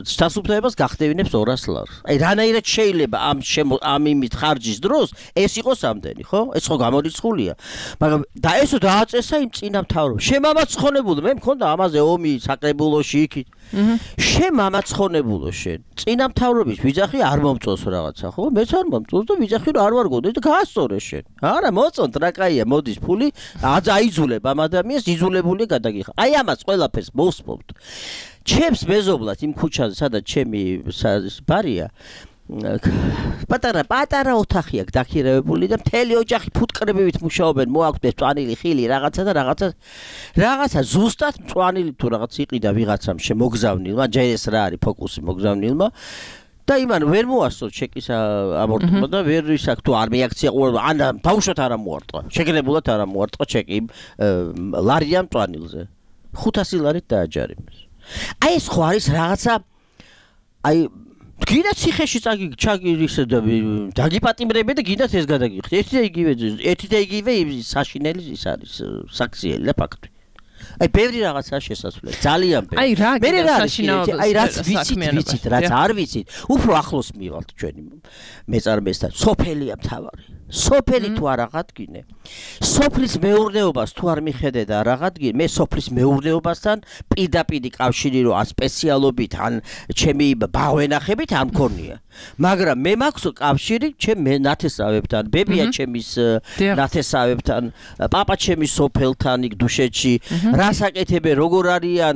Speaker 7: დასუფთავებას გახდევინებს ორას ლარს. აი რანაირად შეიძლება ამ ამ იმით ხარჯის დროს ეს იყოს ამდენი, ხო? ეს ხო გამორიცხულია. მაგრამ და ესო დააწესა იმ წინამთავრობ. შემამაცხონებულო, მე მქონდა ამაზე ომი საკრებულოში იქით. შენ მამაცხონებულო შენ. წინამთავრობის ვიძახი არ მომწონს რაღაცა, ხო? მეც არ მომწონს და ვიძახი რომ არ ვარ გონდეს და გაასწორე შენ. არა, მოწონთ რა კაია, მოდის ფული, აიძულებ ამ ადამიანს, იძულებული გადაგიხა. აი ამას ყველაფერს მოვსმობთ. ჩემს მეზობლად იმ ქუჩაზე, სადაც ჩემი ბარია, პატარა პატარა ოთახი აქვს დაქირავებული და მთელი ოჯახი ფუტკრებივით მუშაობენ, მოაქვთ წვანილი ხილი, რაღაცა და რაღაცა რაღაცა ზუსტად წვანილი თუ რაღაც იყიდა ვიღაცამ შემოგზავნილმა, ჯერ ეს რა არის ფოკუსი მოგზავნილმა და იმან ვერ მოასწრო ჩეკის ამორტყმა და ვერ ისაკ თუ არ მეაქცია ან ბავშვად არ მოარტყა. შეგრებულად არ მოარტყა ჩეკი ლარიან წვანილზე. ხუთასი ლარით დააჯარიმეს. აი ეს ხო არის რაღაცა აი გინდა ციხეში წაგი ჩაგირის და დაგიპატიმრები და გინდათ ეს გადაგიხდეთ. ერთი და იგივე ერთი და იგივე საშინელი ის არის საქციელი და ფაქტი. აი ბევრი რაღაცაა შესაძლებელი. ძალიან ბევრი.
Speaker 4: აი რა გინდა
Speaker 7: საშინაო აი რაც ვიცით, ვიცით, რაც არ ვიცით, უფრო ახლოს მივალთ ჩვენი მეწარმესთან. სოფელია მთავარი. სოფელი თუ არ აღადგინე. სოფლის მეურნეობას თუ არ მიხედე და არ აღადგინე, მე სოფლის მეურნეობასთან პირდაპირ კავშირი რო ან სპეციალობით ან ჩემი ბავენახებით არ მქონია. მაგრამ მე მაქვს კავშირი ჩემ ნათესავებთან, ბებია ჩემის ნათესავებთან, პაპა ჩემის სოფელთან იქ დუშეთში, რას აკეთებენ, როგორ არიან,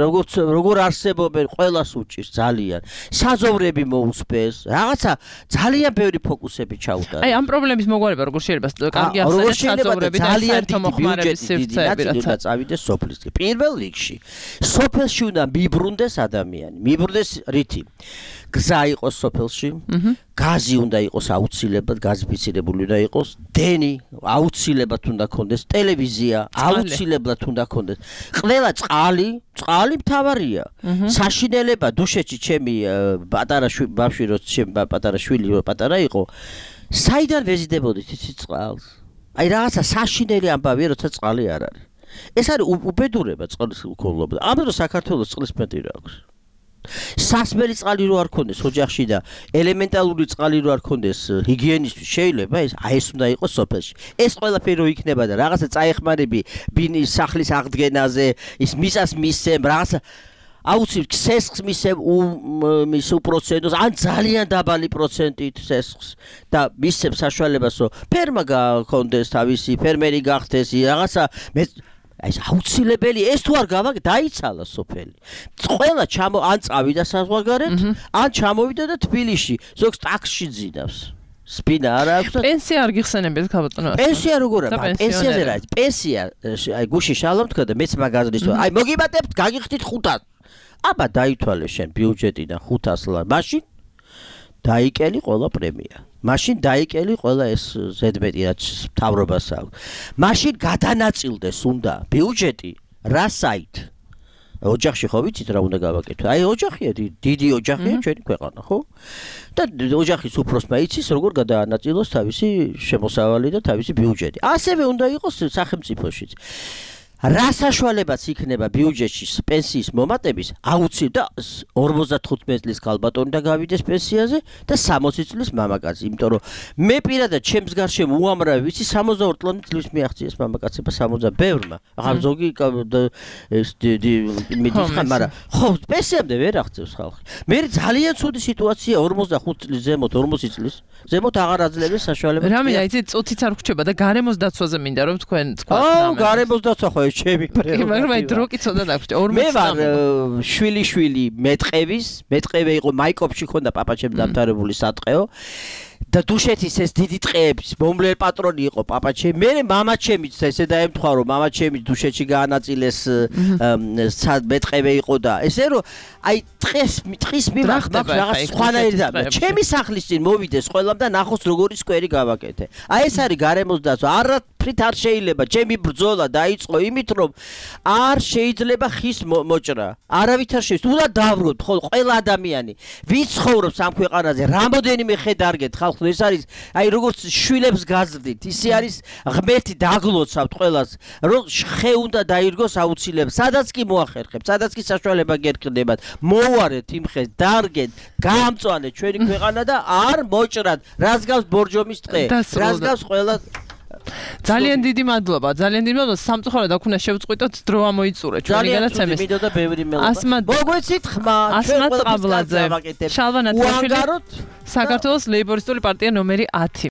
Speaker 7: როგორ როგორ არსებობენ, ყველას უჭირს ძალიან. საზოვრები მოუსპეს, რაღაცა ძალიან ბევრი ფოკუსები ჩაუტარა.
Speaker 4: აი ამ პრობლემის მოგვარება როგორ შეიძლება კარგი ახსენეთ საზოვრები და საერთო მოხმარების სივრცეები
Speaker 7: უნდა წავიდეს სოფლისკენ. პირველ რიგში სოფელში უნდა მიბრუნდეს ადამიანი, მიბრუნდეს რითი? გზა იყოს სოფელში, გაზი უნდა იყოს აუცილებლად, გაზიფიცირებული უნდა იყოს, დენი აუცილებლად უნდა ქონდეს, ტელევიზია აუცილებლად უნდა ქონდეს. ყველა წყალი, წყალი მთავარია. საშინელება დუშეთში ჩემი პატარა ბავშვი რო ჩემი პატარა შვილი რო პატარა იყო, საიდან ვეზიდებოდით იცით წყალს? აი რაღაცა საშინელი ამბავია, როცა წყალი არ არის. ეს არის უბედურება წყლის უქონლობა. ამ დროს საქართველოს წყლის მეტი რა აქვს. სასმელი წყალი რო არ ქონდეს ოჯახში და ელემენტარული წყალი რო არ ქონდეს ჰიგიენისთვის შეიძლება ეს აი ეს უნდა იყოს სოფელში. ეს ყველაფერი რო იქნება და რაღაცა წაეხმარები ბინის სახლის აღდგენაზე, ის მისას მისცემ რაღაცა აუცილებლად სესხს მისცემ მის უპროცენტოს ან ძალიან დაბალი პროცენტით სესხს და მისცემ საშუალებას რომ ფერმა გაქონდეს თავისი, ფერმერი გახდეს, რაღაცა მე აი ეს აუცილებელი ეს თუ არ გავაკეთე დაიცალა სოფელი. ყველა ჩამო ან წავიდა საზღვარგარეთ, ან ჩამოვიდა და თბილისში ზოგს ტაქსში ძინავს. სპინა არ აქვს.
Speaker 4: პენსია არ გიხსენებთ ქალბატონო?
Speaker 7: პენსია როგორ არის? პენსიაზე რა არის? პენსია აი გუში შალომ თქვა და მეც მაგაზრის თქო. აი მოგიბატებთ, გაგიხდით ხუთას. აბა დაითვალე შენ ბიუჯეტიდან ხუთას ლარი. მაშინ დაიკელი ყველა პრემია. მაშინ დაიკელი ყველა ეს ზედმეტი რაც მთავრობას აქვს. მაშინ გადანაწილდეს უნდა ბიუჯეტი რა საით? ოჯახში ხო ვიცით რა უნდა გავაკეთო? აი ოჯახია, დიდი ოჯახია ჩვენი ქვეყანა, ხო? და ოჯახის უფროსმა იცის როგორ გადაანაწილოს თავისი შემოსავალი და თავისი ბიუჯეტი. ასევე უნდა იყოს სახელმწიფოშიც. რა საშუალებაც იქნება ბიუჯეტში პენსიის მომატების აუცილებლად ორმოცდათხუთმეტი წლის ქალბატონი და გავიდეს პენსიაზე და სამოცი წლის მამაკაცი, იმიტომ რომ მე პირადად ჩემს გარშემო უამრავი ვიცი სამოცდაორი წლიანი წლის მიაღწიეს მამაკაცება სამოცდა ბევრმა. ახლა ზოგი ეს მიდიხარ, მაგრამ ხო პენსიამდე ვერ აღწევს ხალხი. მე ძალიან ცუდი სიტუაცია ორმოცდახუთი წლის ზემოთ, ორმოცი წლის ზემოთ აღარ აძლევენ საშუალებას.
Speaker 4: რამე იცით წუთიც არ ხრჩება და გარემოს დაცვაზე მინდა რომ თქვენ თქვა.
Speaker 7: აუ გარემოს დაცვა ხო ეს ჩემი პრეროგატივა.
Speaker 4: მაგრამ აი დრო კი ცოტა დაგვჭირდა ორმოცი.
Speaker 7: მე ვარ შვილი-შვილი მეტყევის, მეტყევე იყო მაიკოპში ხონდა პაპაჩემ დამთავრებული სატყეო. და დუშეთის ეს დიდი ტყეების მომლელ პატრონი იყო პაპაჩემი. მე მამაჩემიც ესე დაემთხვა რომ მამაჩემი დუშეთში გაანაწილეს მეტყევე იყო და ესე რომ აი ტყეს ტყის მიმართ მაქვს რაღაც სხვანაირი და ჩემი სახლის წინ მოვიდეს ყველამ და ნახოს როგორი სკვერი გავაკეთე. აი ეს არის გარემოს დაცვა. არაფრით არ შეიძლება ჩემი ბრძოლა დაიწყო იმით რომ არ შეიძლება ხის მოჭრა. არავით არ შეიძლება. უნდა დავროთ ხოლმე ყველა ადამიანი ვინც ცხოვრობს ამ ქვეყანაზე რამოდენიმე ხე დარგეთ ხალხს ეს არის აი როგორც შვილებს გაზრდით ისე არის ღმერთი დაგლოცავთ ყველას რომ ხე უნდა დაირგოს აუცილებლად სადაც კი მოახერხებთ სადაც კი საშუალება გერკდებათ მოუარეთ იმ ხეს დარგეთ გაამწვანეთ ჩვენი ქვეყანა და არ მოჭრათ რას გავს ბორჯომის ტყე რას გავს ყველა
Speaker 4: ძალიან დიდი მადლობა ძალიან დიდი მადლობა სამწუხაროდ აქ უნდა შევწყვიტოთ დრო ამოიწურა ჩვენი გადაცემის
Speaker 7: მიდოდა ბევრი მელობა მოგვეცით ხმა
Speaker 4: ასმათ ყაბლაძე შალვა ნათლაშვილი საქართველოს ლეიბორისტული პარტია ნომერი ათი